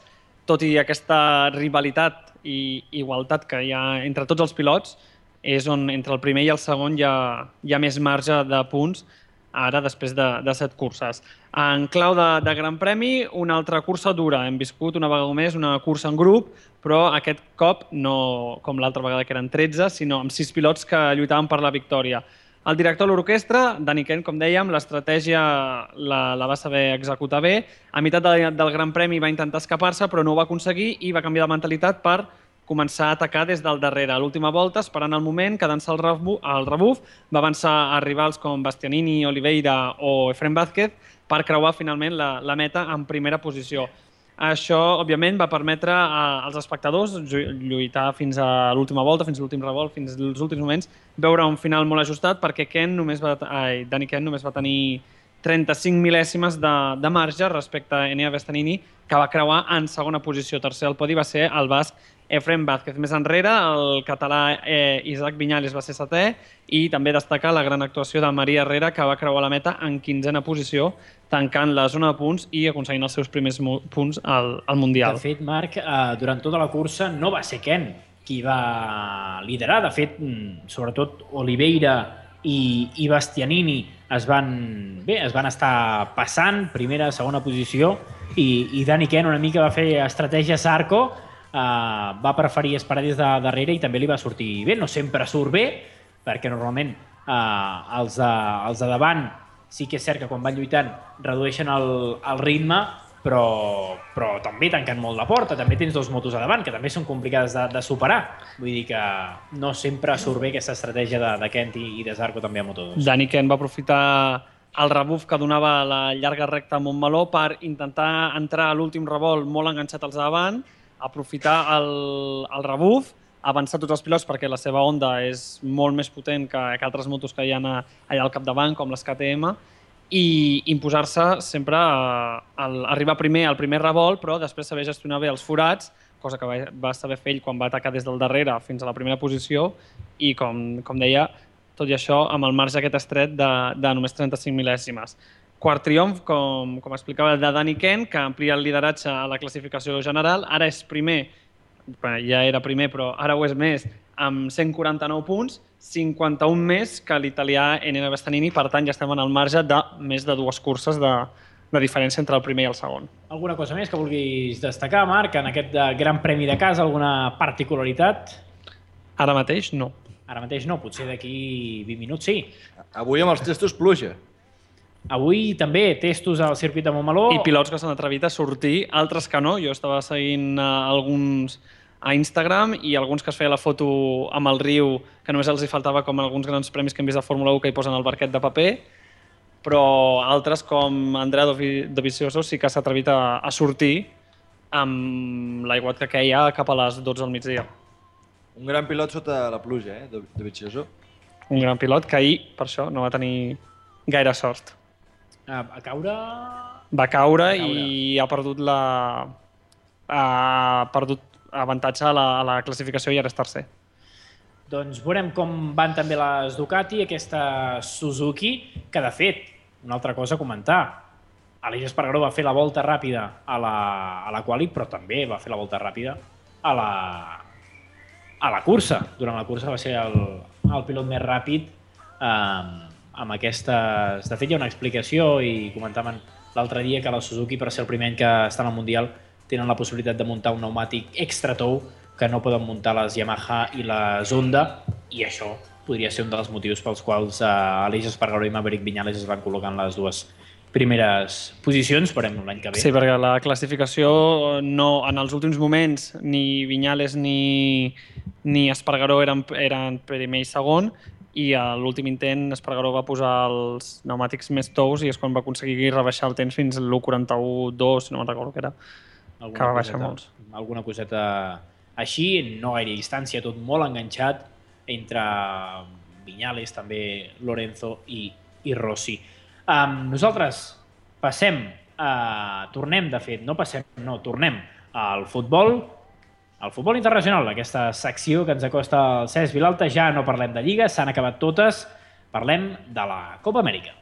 tot i aquesta rivalitat i igualtat que hi ha entre tots els pilots, és on entre el primer i el segon hi ha més marge de punts ara després de 7 curses. En clau de Gran Premi, una altra cursa dura. Hem viscut una vegada més una cursa en grup, però aquest cop no com l'altra vegada que eren 13, sinó amb 6 pilots que lluitaven per la victòria. El director de l'orquestra, Dani Ken, com dèiem, l'estratègia la va saber executar bé. A meitat del Gran Premi va intentar escapar-se, però no ho va aconseguir i va canviar de mentalitat per començar a atacar des del darrere. A l'última volta, esperant el moment, quedant-se al rebuf, va avançar a rivals com Bastianini, Oliveira o Efrem Vázquez per creuar finalment la meta en primera posició. Això, òbviament, va permetre als espectadors lluitar fins a l'última volta, fins a l'últim revolt, fins als últims moments, veure un final molt ajustat perquè Dani Ken només va tenir 35 mil·lèsimes de marge respecte a Enea Bastianini, que va creuar en segona posició. Tercer al podi va ser el basc Efrem Vázquez. Més enrere, el català Isaac Viñales va ser 7è i també destacar la gran actuació de Maria Herrera, que va creuar la meta en 15a posició, tancant la zona de punts i aconseguint els seus primers punts al Mundial. De fet, Marc, durant tota la cursa no va ser Ken qui va liderar. De fet, sobretot Oliveira i Bastianini es van estar passant, primera, segona posició, i Dani Ken una mica va fer estratègia Zarco, va preferir esperar des de darrere i també li va sortir bé. No sempre surt bé, perquè normalment els de davant sí que és cert que quan van lluitant redueixen el ritme, però també tanquen molt la porta. També tens 2 motos a davant, que també són complicades de superar. Vull dir que no sempre surt bé aquesta estratègia de Kent i de Zarco també a Moto2. Dani Ken va aprofitar el rebuf que donava la llarga recta a Montmeló per intentar entrar a l'últim revolt molt enganxat als de davant, aprofitar el rebuf, avançar tots els pilots perquè la seva Honda és molt més potent que altres motos que hi ha allà al capdavant, com les KTM, i imposar-se sempre arribar primer al primer revolt, però després saber gestionar bé els forats, cosa que va saber fer ell quan va atacar des del darrere fins a la primera posició i, com deia, tot i això amb el marge aquest estret de només 35 mil·lèsimes. Quart triomf, com explicava, de Dani Ken, que amplia el lideratge a la classificació general. Ara és primer, ja era primer, però ara ho és més, amb 149 punts, 51 més que l'italià Enea Bastianini. Per tant, ja estem en el marge de més de 2 curses de diferència entre el primer i el segon. Alguna cosa més que vulguis destacar, Marc, en aquest Gran Premi de casa? Alguna particularitat? Ara mateix no. Ara mateix no, potser d'aquí 20 minuts sí. Avui amb els testos pluja. Avui també testos al circuit de Montmeló. I pilots que s'han atrevit a sortir, altres que no. Jo estava seguint alguns a Instagram i alguns que es feia la foto amb el riu, que només els hi faltava com alguns grans premis que hem vist a Fórmula 1 que hi posen el barquet de paper, però altres com Andrea Dovizioso sí que s'ha atrevit a sortir amb l'aiguat que queia cap a les 12 del migdia. Un gran pilot sota la pluja, Dovizioso. Un gran pilot que ahir, per això, no va tenir gaire sort. A caure... Va caure i ha perdut avantatge a la classificació i ara és tercer. Doncs veurem com van també les Ducati, aquesta Suzuki, que de fet, una altra cosa a comentar, Aleix Espargaró va fer la volta ràpida a la quali, però també va fer la volta ràpida a la cursa. Durant la cursa va ser el pilot més ràpid amb aquestes... De fet, hi ha una explicació i comentaven l'altre dia que la Suzuki, per ser el primer any que està en el Mundial, tenen la possibilitat de muntar un pneumàtic extra tou que no poden muntar les Yamaha i les Honda, i això podria ser un dels motius pels quals Aleix Espargaró i Maverick Viñales es van col·locar en les dues primeres posicions, veurem l'any que ve. Sí, perquè la classificació no, en els últims moments ni Viñales ni Espargaró eren primer i segon, i a l'últim intent Espargaró va posar els pneumàtics més tous i és quan va aconseguir rebaixar el temps fins a l'1.41.2, no me'n recordo què era, que va baixar molts. Alguna coseta així, no gaire distància, tot molt enganxat entre Viñales, també Lorenzo i Rossi. Nosaltres tornem al futbol internacional, aquesta secció que ens acosta el Cesc Vilalta. Ja no parlem de Lliga, s'han acabat totes, parlem de la Copa Amèrica.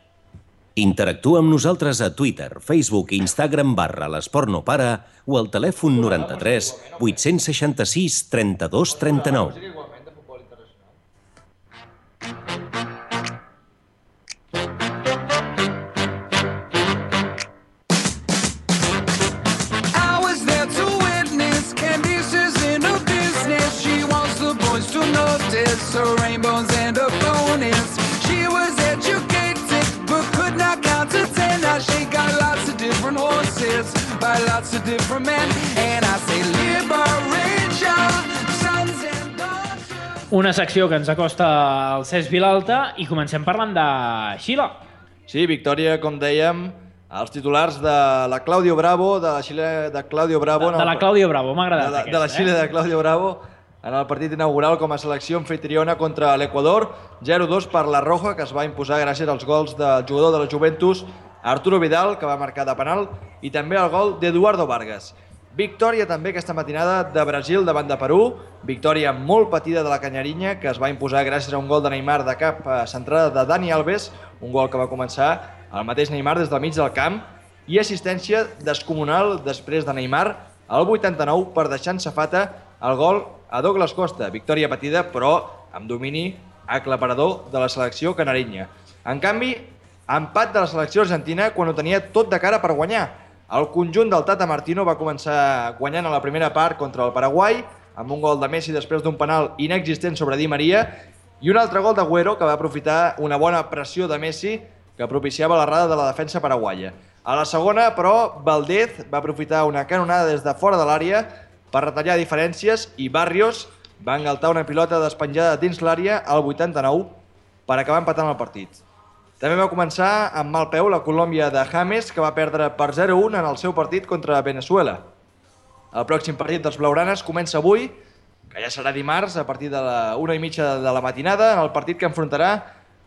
Interactua amb nosaltres a Twitter, Facebook i Instagram /l'Esport no para o al telèfon 93 866 32 39. Her rainbows and her bonus. She was educated but could not count to 10. Now she got lots of different horses by lots of different men. And I say liberation, sons and daughters. Una secció que ens acosta al Cesc Vilalta i comencem parlant de Xile. Sí, victòria, com dèiem, els titulars de la Claudio Bravo, de la Xile de Claudio Bravo. De la Claudio Bravo, m'ha agradat aquesta. De la Xile de Claudio Bravo, en el partit inaugural com a selecció anfitriona contra l'Equador, 0-2 per la Roja, que es va imposar gràcies als gols del jugador de la Juventus, Arturo Vidal, que va marcar de penal, i també el gol d'Eduardo Vargas. Victòria també aquesta matinada de Brasil davant de Perú, victòria molt patida de la Canyarinya, que es va imposar gràcies a un gol de Neymar de cap centrada de Dani Alves, un gol que va començar el mateix Neymar des del mig del camp, i assistència descomunal després de Neymar, al 89 per deixar en safata el gol a Douglas Costa. Victòria patida, però amb domini aclaparador de la selecció canarinya. En canvi, empat de la selecció argentina quan ho tenia tot de cara per guanyar. El conjunt del Tata Martino va començar guanyant a la primera part contra el Paraguai, amb un gol de Messi després d'un penal inexistent sobre Di Maria, i un altre gol d'Agüero que va aprofitar una bona pressió de Messi que propiciava l'errada de la defensa paraguaia. A la segona, però, Valdez va aprofitar una canonada des de fora de l'àrea per retallar diferències i Barrios va engaltar una pilota despenjada dins l'àrea al 89 per acabar empatant el partit. També va començar amb mal peu la Colòmbia de James, que va perdre per 0-1 en el seu partit contra Venezuela. El pròxim partit dels blaugranes comença avui, que ja serà dimarts, a partir de la 1:30 de la matinada, en el partit que enfrontarà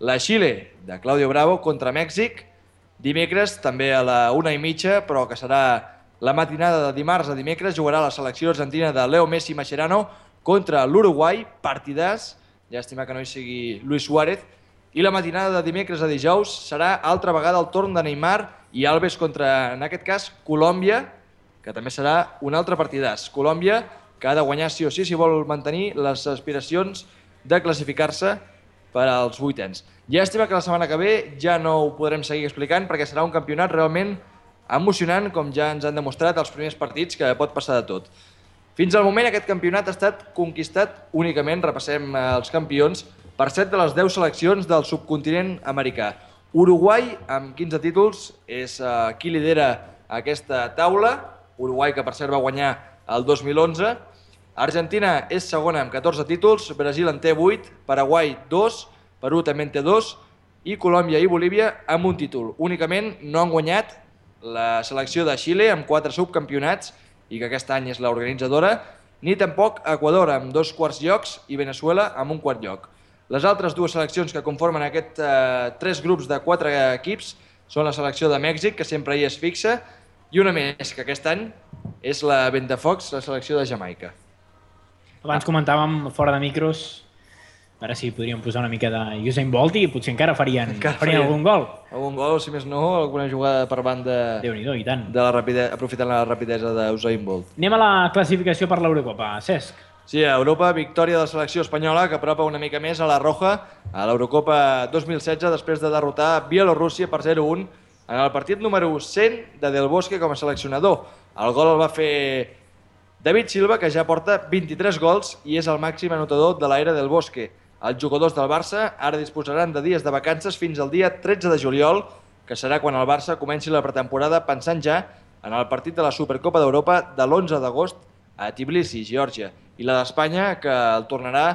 la Xile de Claudio Bravo contra Mèxic. Dimecres, també a la 1:30, però que serà la matinada de dimarts a dimecres, jugarà la selecció argentina de Leo Messi Mascherano contra l'Uruguai, partidàs, llàstima que no hi sigui Luis Suárez, i la matinada de dimecres a dijous serà altra vegada el torn de Neymar i Alves contra, en aquest cas, Colòmbia, que també serà un altre partidàs. Colòmbia, que ha de guanyar sí o sí si vol mantenir les aspiracions de classificar-se per als vuitens. Llàstima que la setmana que ve ja no ho podrem seguir explicant perquè serà un campionat realment emocionant, com ja ens han demostrat els primers partits, que pot passar de tot. Fins al moment aquest campionat ha estat conquistat únicament, repassem els campions, per 7 de les 10 seleccions del subcontinent americà. Uruguai, amb 15 títols, és qui lidera aquesta taula. Uruguai, que per cert va guanyar el 2011. Argentina és segona amb 14 títols, Brasil en té 8, Paraguai 2, Perú també en té 2, i Colòmbia i Bolívia amb un títol. Únicament no han guanyat la selecció de Xile amb 4 subcampionats, i que aquest any és l'organitzadora, ni tampoc Equador amb 2 quarts llocs i Venezuela amb un quart lloc. Les altres dues seleccions que conformen aquests 3 grups de 4 equips són la selecció de Mèxic, que sempre hi és fixa, i una més, que aquest any és la Ventafocs, la selecció de Jamaica. Abans comentàvem fora de micros, ara sí podríem posar una mica de Usain Bolt i potser encara farien algun gol. Algun gol, si més no, alguna jugada per banda Déu-n'hi-do, i tant. aprofitant la rapidesa d'Usain Bolt. Anem a la classificació per l'Eurocopa. Cesc. Sí, a Europa, victòria de la selecció espanyola que apropa una mica més a la Roja a l'Eurocopa 2016 després de derrotar Bielorússia per 0-1 en el partit número 100 de Del Bosque com a seleccionador. El gol el va fer David Silva, que ja porta 23 gols i és el màxim anotador de l'era Del Bosque. Els jugadors del Barça ara disposaran de dies de vacances fins al dia 13 de juliol, que serà quan el Barça comenci la pretemporada pensant ja en el partit de la Supercopa d'Europa de l'11 d'agost a Tbilisi, Geòrgia, i la d'Espanya, que el tornarà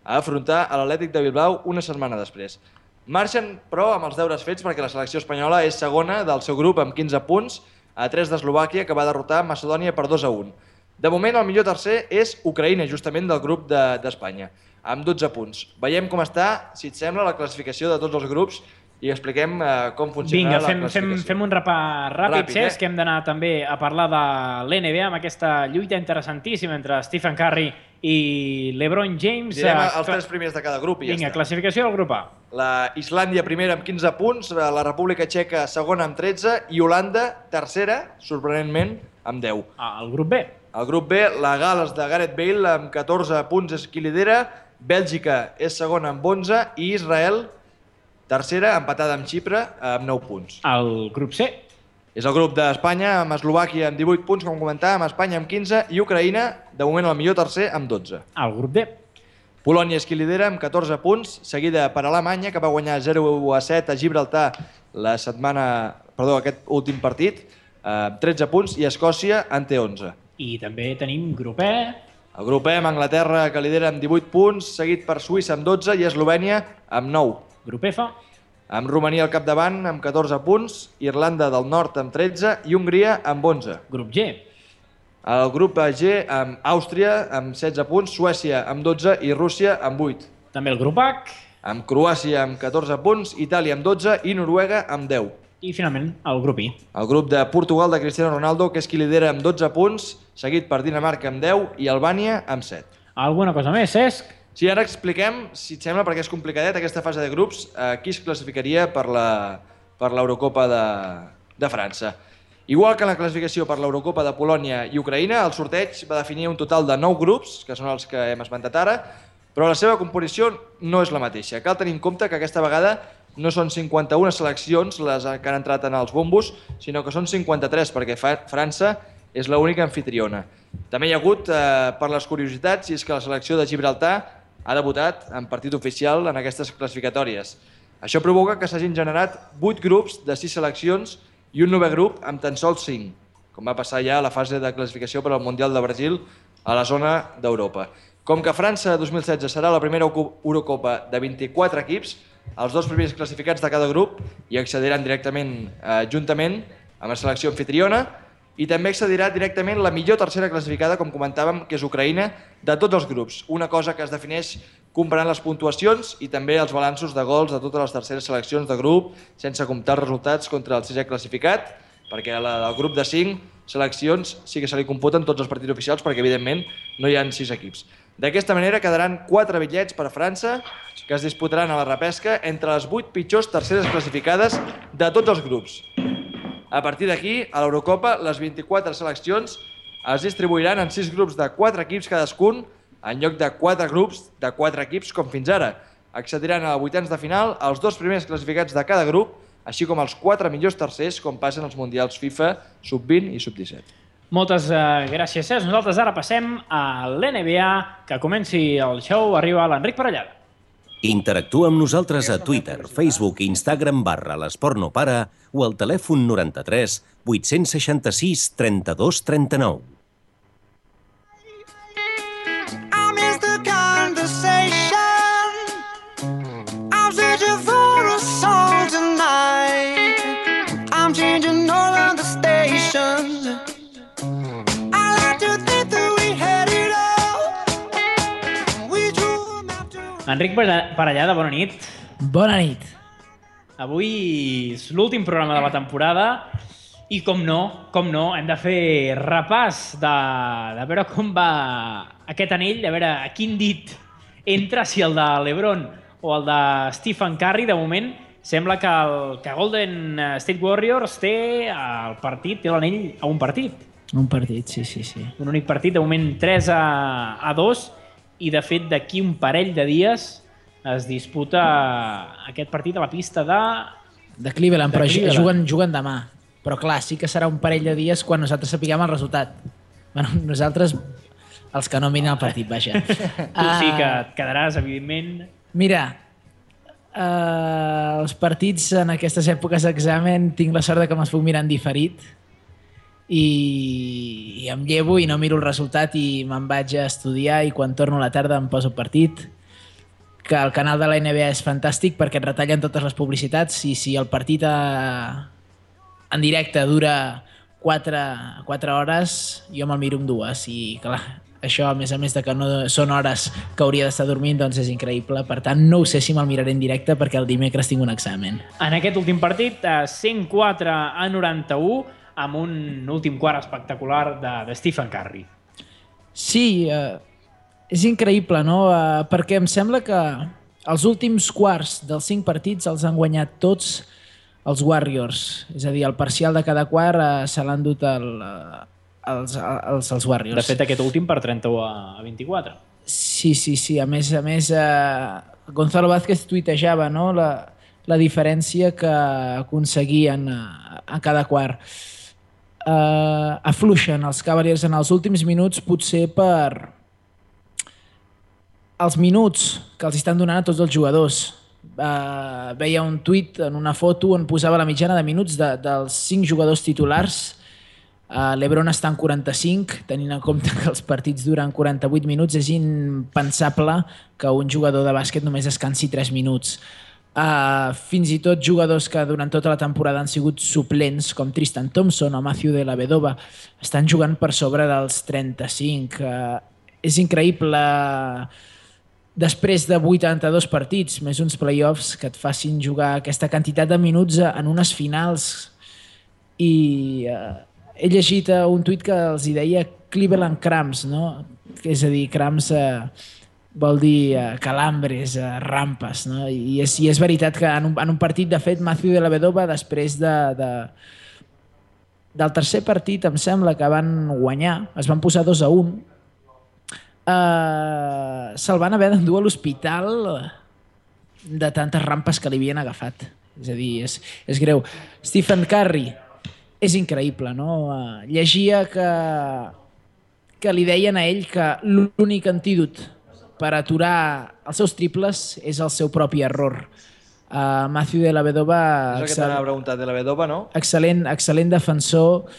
a afrontar a l'Atlètic de Bilbao una setmana després. Marxen, però, amb els deures fets perquè la selecció espanyola és segona del seu grup amb 15 punts, a 3 d'Eslovàquia, que va derrotar Macedònia per 2-1. De moment, el millor tercer és Ucraïna, justament del grup d'Espanya, amb 12 punts. Veiem com està, si et sembla, la classificació de tots els grups i expliquem com funcionarà la classificació. Vinga, fem un repàs ràpid, Cesc, que hem d'anar també a parlar de l'NBA amb aquesta lluita interessantíssima entre Stephen Curry i LeBron James. Direm els 3 primers de cada grup i ja està. Vinga, classificació del grup A. La Islàndia primera amb 15 punts, la República Txeca segona amb 13 i Holanda tercera, sorprenentment, amb 10. El grup B. El grup B, la Gal·les de Gareth Bale amb 14 punts és qui lidera, Bèlgica és segona amb 11 i Israel tercera, empatada amb Xipre, amb 9 punts. El grup C. És el grup d'Espanya, amb Eslovàquia amb 18 punts, com comentàvem, Espanya amb 15 i Ucraïna, de moment el millor tercer, amb 12. El grup D. Polònia és qui lidera amb 14 punts, seguida per Alemanya, que va guanyar 0-7 a Gibraltar aquest últim partit, amb 13 punts, i Escòcia en té 11. I també tenim grup E. El grup E amb Anglaterra, que lidera amb 18 punts, seguit per Suïssa amb 12 i Eslovènia amb 9. Grup F. Amb Romania al capdavant amb 14 punts, Irlanda del Nord amb 13 i Hongria amb 11. Grup G. El grup G amb Àustria amb 16 punts, Suècia amb 12 i Rússia amb 8. També el grup H. Amb Croàcia amb 14 punts, Itàlia amb 12 i Noruega amb 10. I finalment el grup I. El grup de Portugal de Cristiano Ronaldo, que és qui lidera amb 12 punts, seguit per Dinamarca amb 10 i Albània amb 7. Alguna cosa més, Cesc? Sí, ara expliquem, si et sembla, perquè és complicadet aquesta fase de grups, qui es classificaria per l'Eurocopa de França. Igual que en la classificació per l'Eurocopa de Polònia i Ucraïna, el sorteig va definir un total de 9 grups, que són els que hem esmentat ara, però la seva composició no és la mateixa. Cal tenir en compte que aquesta vegada no són 51 seleccions les que han entrat en els bombos, sinó que són 53, perquè França és l'única anfitriona. També hi ha hagut, per les curiositats, i és que la selecció de Gibraltar ha debutat en partit oficial en aquestes classificatòries. Això provoca que s'hagin generat 8 grups de 6 seleccions i un 9è grup amb tan sols 5, com va passar ja a la fase de classificació per al Mundial de Brasil a la zona d'Europa. Com que França 2016 serà la primera Eurocopa de 24 equips, els 2 primers classificats de cada grup hi accediran directament juntament amb la selecció anfitriona i també accedirà directament la millor tercera classificada, com comentàvem, que és Ucraïna, de tots els grups. Una cosa que es defineix comparant les puntuacions i també els balanços de gols de totes les terceres seleccions de grup, sense comptar els resultats contra el 6è classificat, perquè al grup de 5 seleccions sí que se li computen tots els partits oficials, perquè evidentment no hi ha 6 equips. D'aquesta manera quedaran 4 bitllets per a França, que es disputaran a la repesca entre les 8 pitjors terceres classificades de tots els grups. A partir d'aquí, a l'Eurocopa, les 24 seleccions es distribuiran en 6 grups de 4 equips cadascun, en lloc de 4 grups de 4 equips com fins ara. Accediran a vuitens de final els 2 primers classificats de cada grup, així com els 4 millors tercers, com passen als Mundials FIFA Sub-20 i Sub-17. Moltes gràcies, Cesc. Nosaltres ara passem a l'NBA. Que comenci el show. Arriba l'Enric Parellada. Interactua amb nosaltres a Twitter, Facebook i Instagram /l'Esport no para o al telèfon 93 866 32 39. Enric Parellada, bona nit. Bona nit. Avui és l'últim programa de la temporada i, com no, hem de fer repàs de veure com va aquest anell, a veure a quin dit entra, si el de l'Ebron o el de Stephen Curry. De moment, sembla que Golden State Warriors té el partit, té l'anell a un partit. Un partit, sí. Un únic partit, de moment 3-2, i de fet d'aquí un parell de dies es disputa aquest partit a la pista de Cleveland, però Cleveland. juguen demà. Però clar, sí que serà un parell de dies quan nosaltres sapiguem el resultat. Bueno, nosaltres, els que no miren el partit, vaja. Tu sí que et quedaràs, evidentment. Mira, els partits en aquestes èpoques d'examen tinc la sort de que me'ls puc mirar en diferit i em llevo i no miro el resultat i me'n vaig a estudiar, i quan torno a la tarda em poso el partit, que el canal de la NBA és fantàstic perquè et retallen totes les publicitats, i si el partit en directe dura 4 hores, jo me'l miro en 2, i clar, això, a més de que no són hores que hauria d'estar dormint, doncs és increïble. Per tant, no ho sé si me'l miraré en directe perquè el dimecres tinc un examen. En aquest últim partit, 104-91, amb un últim quart espectacular de Stephen Curry. Sí, és increïble, no? Perquè em sembla que els últims quarts dels 5 partits els han guanyat tots els Warriors. És a dir, el parcial de cada quart se l'han dut els Warriors. De fet, aquest últim per 31-24. Sí. A més, Gonzalo Vázquez tuitejava, no? La diferència que aconseguien a cada quart. Afluixen els Cavaliers en els últims minuts, potser per els minuts que els estan donant a tots els jugadors. Veia un tuit en una foto on posava la mitjana de minuts dels 5 jugadors titulars. L'Ebron està en 45, tenint en compte que els partits duren 48 minuts. És impensable que un jugador de bàsquet només descansi 3 minuts. Fins i tot jugadors que durant tota la temporada han sigut suplents, com Tristan Thompson o Matthew Dellavedova, estan jugant per sobre dels 35. És increïble, després de 82 partits, més uns playoffs, que et facin jugar aquesta quantitat de minuts en unes finals. I he llegit un tuit que els hi deia Cleveland Cramps, no? És a dir, cramps vol dir calambres, rampes, no? I és veritat que en un partit, de fet, Matthew Dellavedova, després del tercer partit, em sembla que van guanyar, es van posar 2-1, se'l van haver d'endur a l'hospital de tantes rampes que li havien agafat. És a dir, és greu. Stephen Curry, és increïble, no? Llegia que li deien a ell que l'únic antídot per aturar els seus triples és el seu propi error. Matthew Dellavedova... És el que t'anava a preguntar, Dellavedova, no? Excel·lent defensor,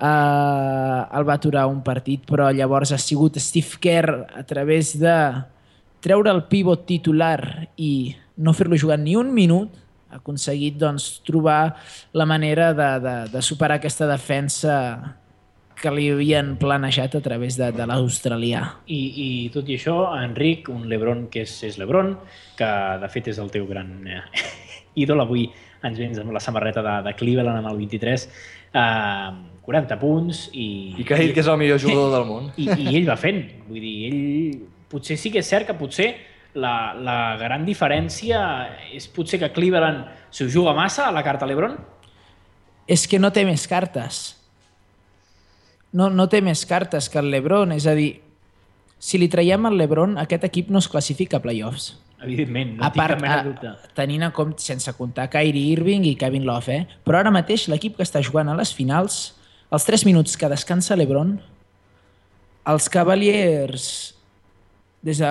el va aturar un partit, però llavors ha sigut Steve Kerr, a través de treure el pivot titular i no fer-lo jugar ni un minut, ha aconseguit trobar la manera de superar aquesta defensa que li havien planejat a través de l'australià. I tot i això, Enric, un LeBron que és LeBron, que de fet és el teu gran ídol, avui ens vens amb la samarreta de Cleveland amb el 23, 40 punts i que ha dit que és el millor jugador del món. I ell va fent. Vull dir, ell potser sí que és cert que potser la gran diferència és potser que Cleveland s'ho juga massa a la carta LeBron? És que no té més cartes. No té més cartes que el LeBron. És a dir, si li traiem el LeBron, aquest equip no es classifica a playoffs. Evidentment, no tinc cap mena de dubte. Tenint en compte, sense comptar Kyrie Irving i Kevin Love, però ara mateix l'equip que està jugant a les finals, els 3 minuts que descansa LeBron, els Cavaliers, des de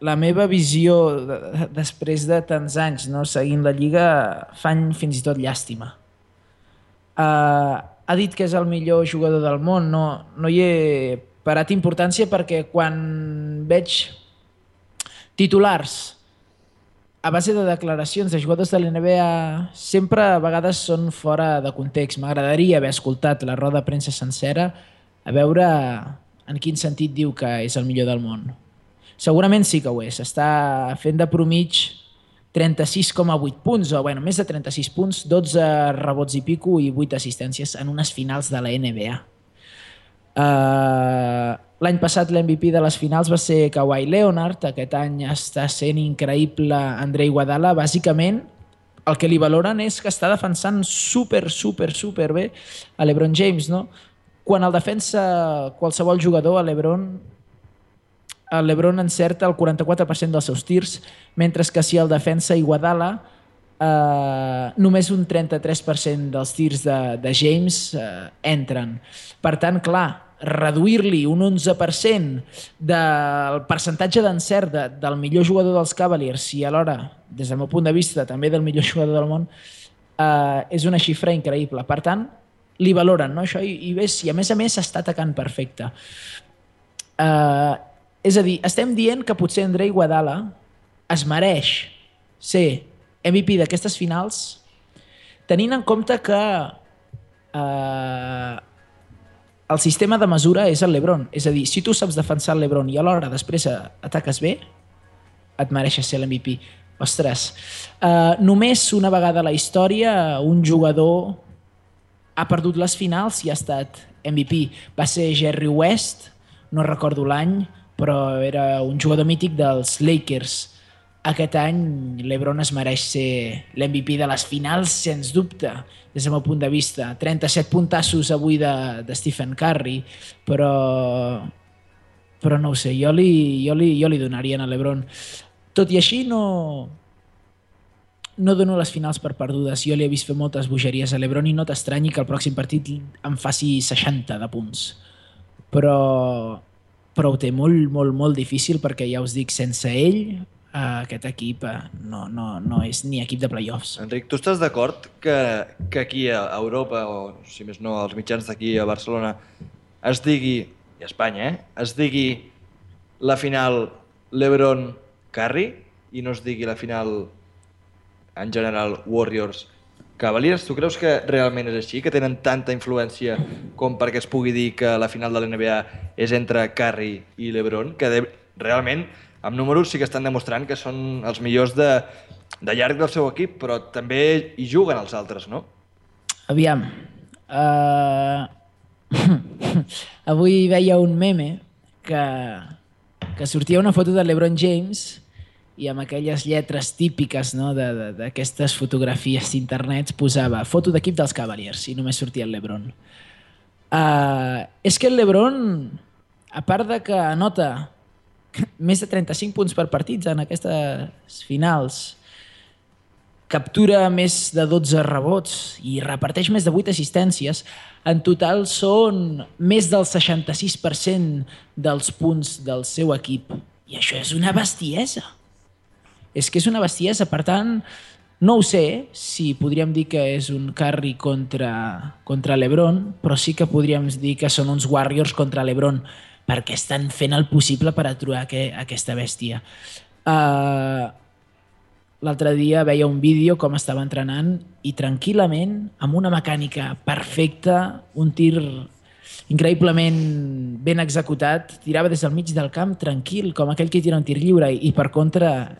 la meva visió després de tants anys seguint la Lliga, fan fins i tot llàstima. Ha dit que és el millor jugador del món, no hi he parat importància perquè quan veig titulars a base de declaracions de jugadors de l'NBA sempre a vegades són fora de context. M'agradaria haver escoltat la roda de premsa sencera a veure en quin sentit diu que és el millor del món. Segurament sí que ho és. Està fent de promig 36,8 punts, o bueno, més de 36 punts, 12 rebots i pico i 8 assistències en unes finals de la NBA. L'any passat l'MVP de les finals va ser Kawhi Leonard, aquest any està sent increïble Andrei Iguodala. Bàsicament el que li valoren és que està defensant super bé a LeBron James, no? Quan el defensa qualsevol jugador, el LeBron encerta el 44% dels seus tirs, mentre que si el defensa Iguodala, només un 33% dels tirs de James entren. Per tant, clar, reduir-li un 11% del percentatge d'encert del millor jugador dels Cavaliers i alhora, des del meu punt de vista, també del millor jugador del món, és una xifra increïble. Per tant, li valoren, no, això, i a més està atacant perfecte. És a dir, estem dient que potser Andrei Iguodala es mereix ser MVP d'aquestes finals tenint en compte que el sistema de mesura és el LeBron. És a dir, si tu saps defensar el LeBron i alhora després ataques bé, et mereixes ser l'MVP. Ostres, només una vegada a la història un jugador ha perdut les finals i ha estat MVP. Va ser Jerry West, no recordo l'any, però era un jugador mític dels Lakers. Aquest any l'Ebron es mereix ser l'MVP de les finals, sens dubte, des del meu punt de vista. 37 puntassos avui de Stephen Curry, però no ho sé, jo li donaria a l'Ebron. Tot i així no dono les finals per perdudes. Jo li he vist fer moltes bogeries a l'Ebron i no t'estranyi que el pròxim partit em faci 60 de punts. Però ho té molt difícil perquè ja us dic, sense ell aquest equip no és ni equip de playoffs. Enric, tu estàs d'acord que aquí a Europa, o si més no als mitjans d'aquí a Barcelona, es digui, i a Espanya, es digui la final LeBron-Curry i no es digui la final en general Warriors-Cavaliers? Tu creus que realment és així, que tenen tanta influència com perquè es pugui dir que la final de la NBA és entre Curry i LeBron, que realment amb números sí que estan demostrant que són els millors de llarg del seu equip, però també hi juguen els altres, no? Aviam. Avui veia un meme que sortia una foto de LeBron James i amb aquelles lletres típiques d'aquestes fotografies d'internet posava foto d'equip dels Cavaliers i només sortia el LeBron. És que el LeBron, a part de que anota més de 35 punts per partits en aquestes finals, captura més de 12 rebots i reparteix més de 8 assistències, en total són més del 66% dels punts del seu equip. I això és una bestiesa. És que és una bestiesa, per tant, no ho sé si podríem dir que és un Curry contra LeBron, però sí que podríem dir que són uns Warriors contra LeBron, perquè estan fent el possible per aturar aquesta bèstia. L'altre dia veia un vídeo com estava entrenant i tranquil·lament, amb una mecànica perfecta, un tir increïblement ben executat, tirava des del mig del camp tranquil, com aquell que tira un tir lliure, i per contra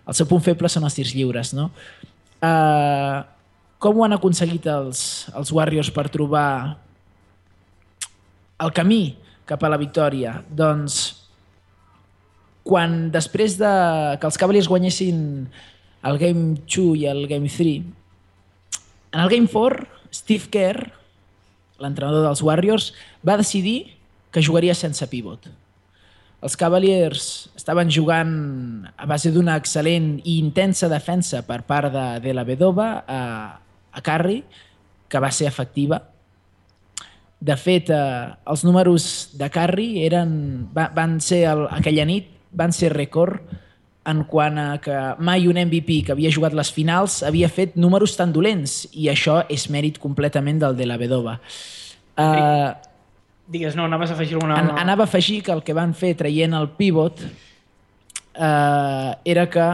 el seu punt feble són els tirs lliures, no? Com ho han aconseguit els Warriors per trobar el camí cap a la victòria? Doncs quan després que els Cavaliers guanyessin el Game 2 i el Game 3, en el Game 4, Steve Kerr, l'entrenador dels Warriors, va decidir que jugaria sense pivot. Els Cavaliers estaven jugant a base d'una excel·lent i intensa defensa per part de la Vedova a Curry, que va ser efectiva. De fet, els números de Curry van ser aquella nit, van ser rècord en quant a que mai un MVP que havia jugat les finals havia fet números tan dolents, i això és mèrit completament del de la Vedova. Digues, no, anaves a afegir alguna... Anava a afegir que el que van fer traient el pivot era que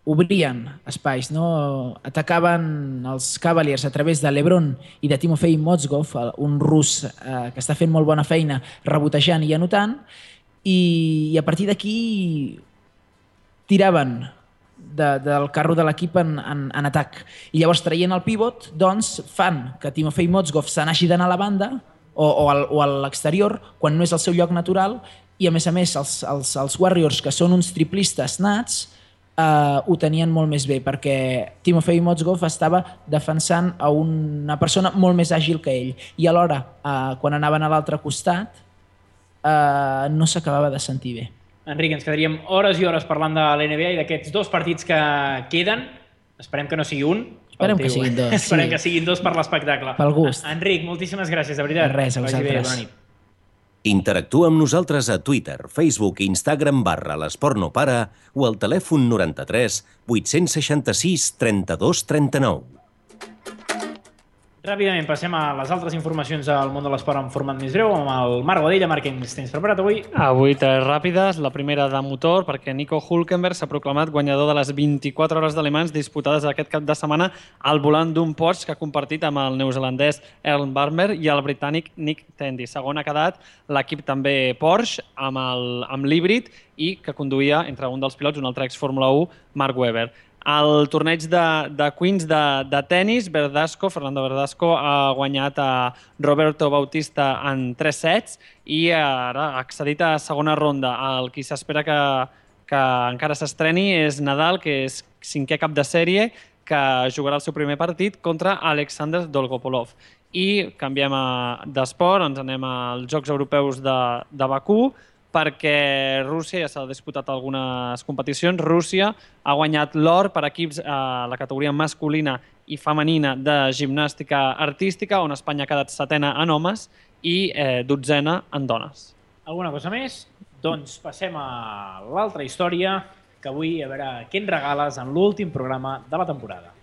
obrien espais, no? Atacaven els Cavaliers a través de LeBron i de Timofey Mozgov, un rus que està fent molt bona feina rebotejant i anotant, i a partir d'aquí tiraven del carro de l'equip en atac. I llavors, traient el pivot, doncs fan que Timofey Mozgov se n'hagi d'anar a la banda o a l'exterior, quan no és el seu lloc natural, i a més, els Warriors, que són uns triplistes nats, ho tenien molt més bé, perquè Timofey Mozgov estava defensant a una persona molt més àgil que ell, i alhora, quan anaven a l'altre costat, no s'acabava de sentir bé. Enric, ens quedaríem hores i hores parlant de l'NBA i d'aquests 2 partits que queden. Esperem que no sigui un. Esperem que siguin 2. Esperem que siguin 2 per l'espectacle. Pel gust. Enric, moltíssimes gràcies, de veritat. Res, a vosaltres. Bona nit. Interactua amb nosaltres a Twitter, Facebook i Instagram /l'Esport no para o al telèfon 93 866 32 39. Ràpidament passem a les altres informacions del món de l'esport en format més breu amb el Marc Godella. Marc, què ens tens preparat avui? Avui 3 ràpides. La primera de motor, perquè Nico Hülkenberg s'ha proclamat guanyador de les 24 hores d'Ale Mans disputades aquest cap de setmana al volant d'un Porsche que ha compartit amb el neozelandès Earl Barmer i el britànic Nick Tandy. Segon ha quedat l'equip també Porsche amb l'híbrid i que conduïa entre un dels pilots, un altre ex-Fórmula 1, Mark Webber. Al torneig de Queens de tennis, Fernando Verdasco ha guanyat a Roberto Bautista en 3 sets i ara ha accedit a segona ronda. El qui s'espera que encara s'estreni és Nadal, que és 5è cap de sèrie, que jugarà el seu primer partit contra Alexander Dolgopolov. I canviem d'esport, ens anem als Jocs Europeus de Bakú, perquè Rússia ja s'ha disputat algunes competicions. Rússia ha guanyat l'or per equips a la categoria masculina i femenina de gimnàstica artística, on Espanya ha quedat 7a en homes i 12a en dones. Alguna cosa més? Doncs passem a l'altra història, que avui a veure què ens regales en l'últim programa de la temporada.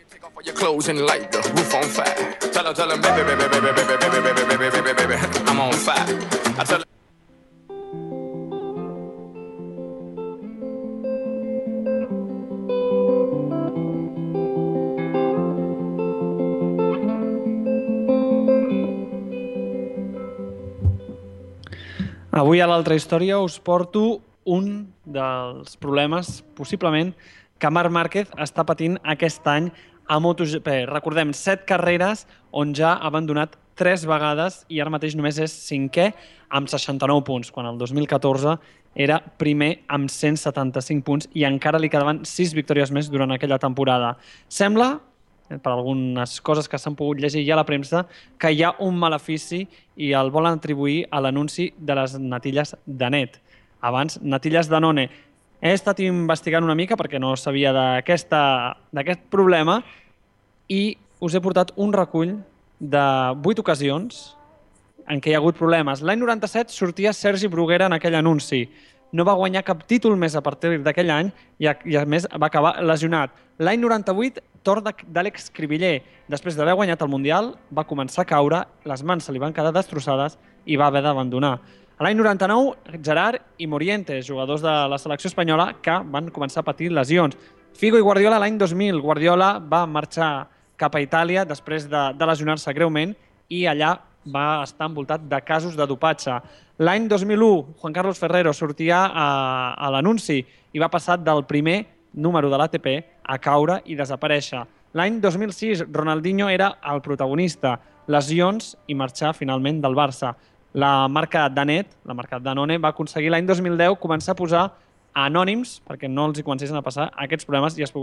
Take off all your clothes and light the roof on fire. Tell them, baby, I'm on fire. I tell Avui a l'altra història us porto un dels problemes, possiblement, que Marc Márquez està patint aquest any a MotoGP. Recordem, 7 carreres on ja ha abandonat 3 vegades i ara mateix només és 5è amb 69 punts, quan el 2014 era primer amb 175 punts i encara li quedaven 6 victòries més durant aquella temporada. Sembla, per algunes coses que s'han pogut llegir ja a la premsa, que hi ha un malefici i el volen atribuir a l'anunci de les natilles Danet. Abans, natilles Danone. He estat investigant una mica perquè no sabia d'aquest problema i us he portat un recull de 8 ocasions en què hi ha hagut problemes. L'any 97 sortia Sergi Bruguera en aquell anunci. No va guanyar cap títol més a partir d'aquell any i a més va acabar lesionat. L'any 98, torn d'Àlex Cribiller. Després d'haver guanyat el Mundial, va començar a caure, les mans se li van quedar destrossades i va haver d'abandonar. L'any 99, Gerard i Morientes, jugadors de la selecció espanyola, que van començar a patir lesions. Figo i Guardiola l'any 2000. Guardiola va marxar cap a Itàlia després de lesionar-se greument i allà va estar envoltat de casos de dopatge. L'any 2001, Juan Carlos Ferrero sortia a l'anunci i va passar del primer número de l'ATP a caure i desaparèixer. L'any 2006, Ronaldinho era el protagonista, lesions i marxar finalment del Barça. La marca Danet, la marca Danone, va aconseguir l'any 2010 començar a posar anònims perquè no els hi comencessin a passar aquests problemes i es pogués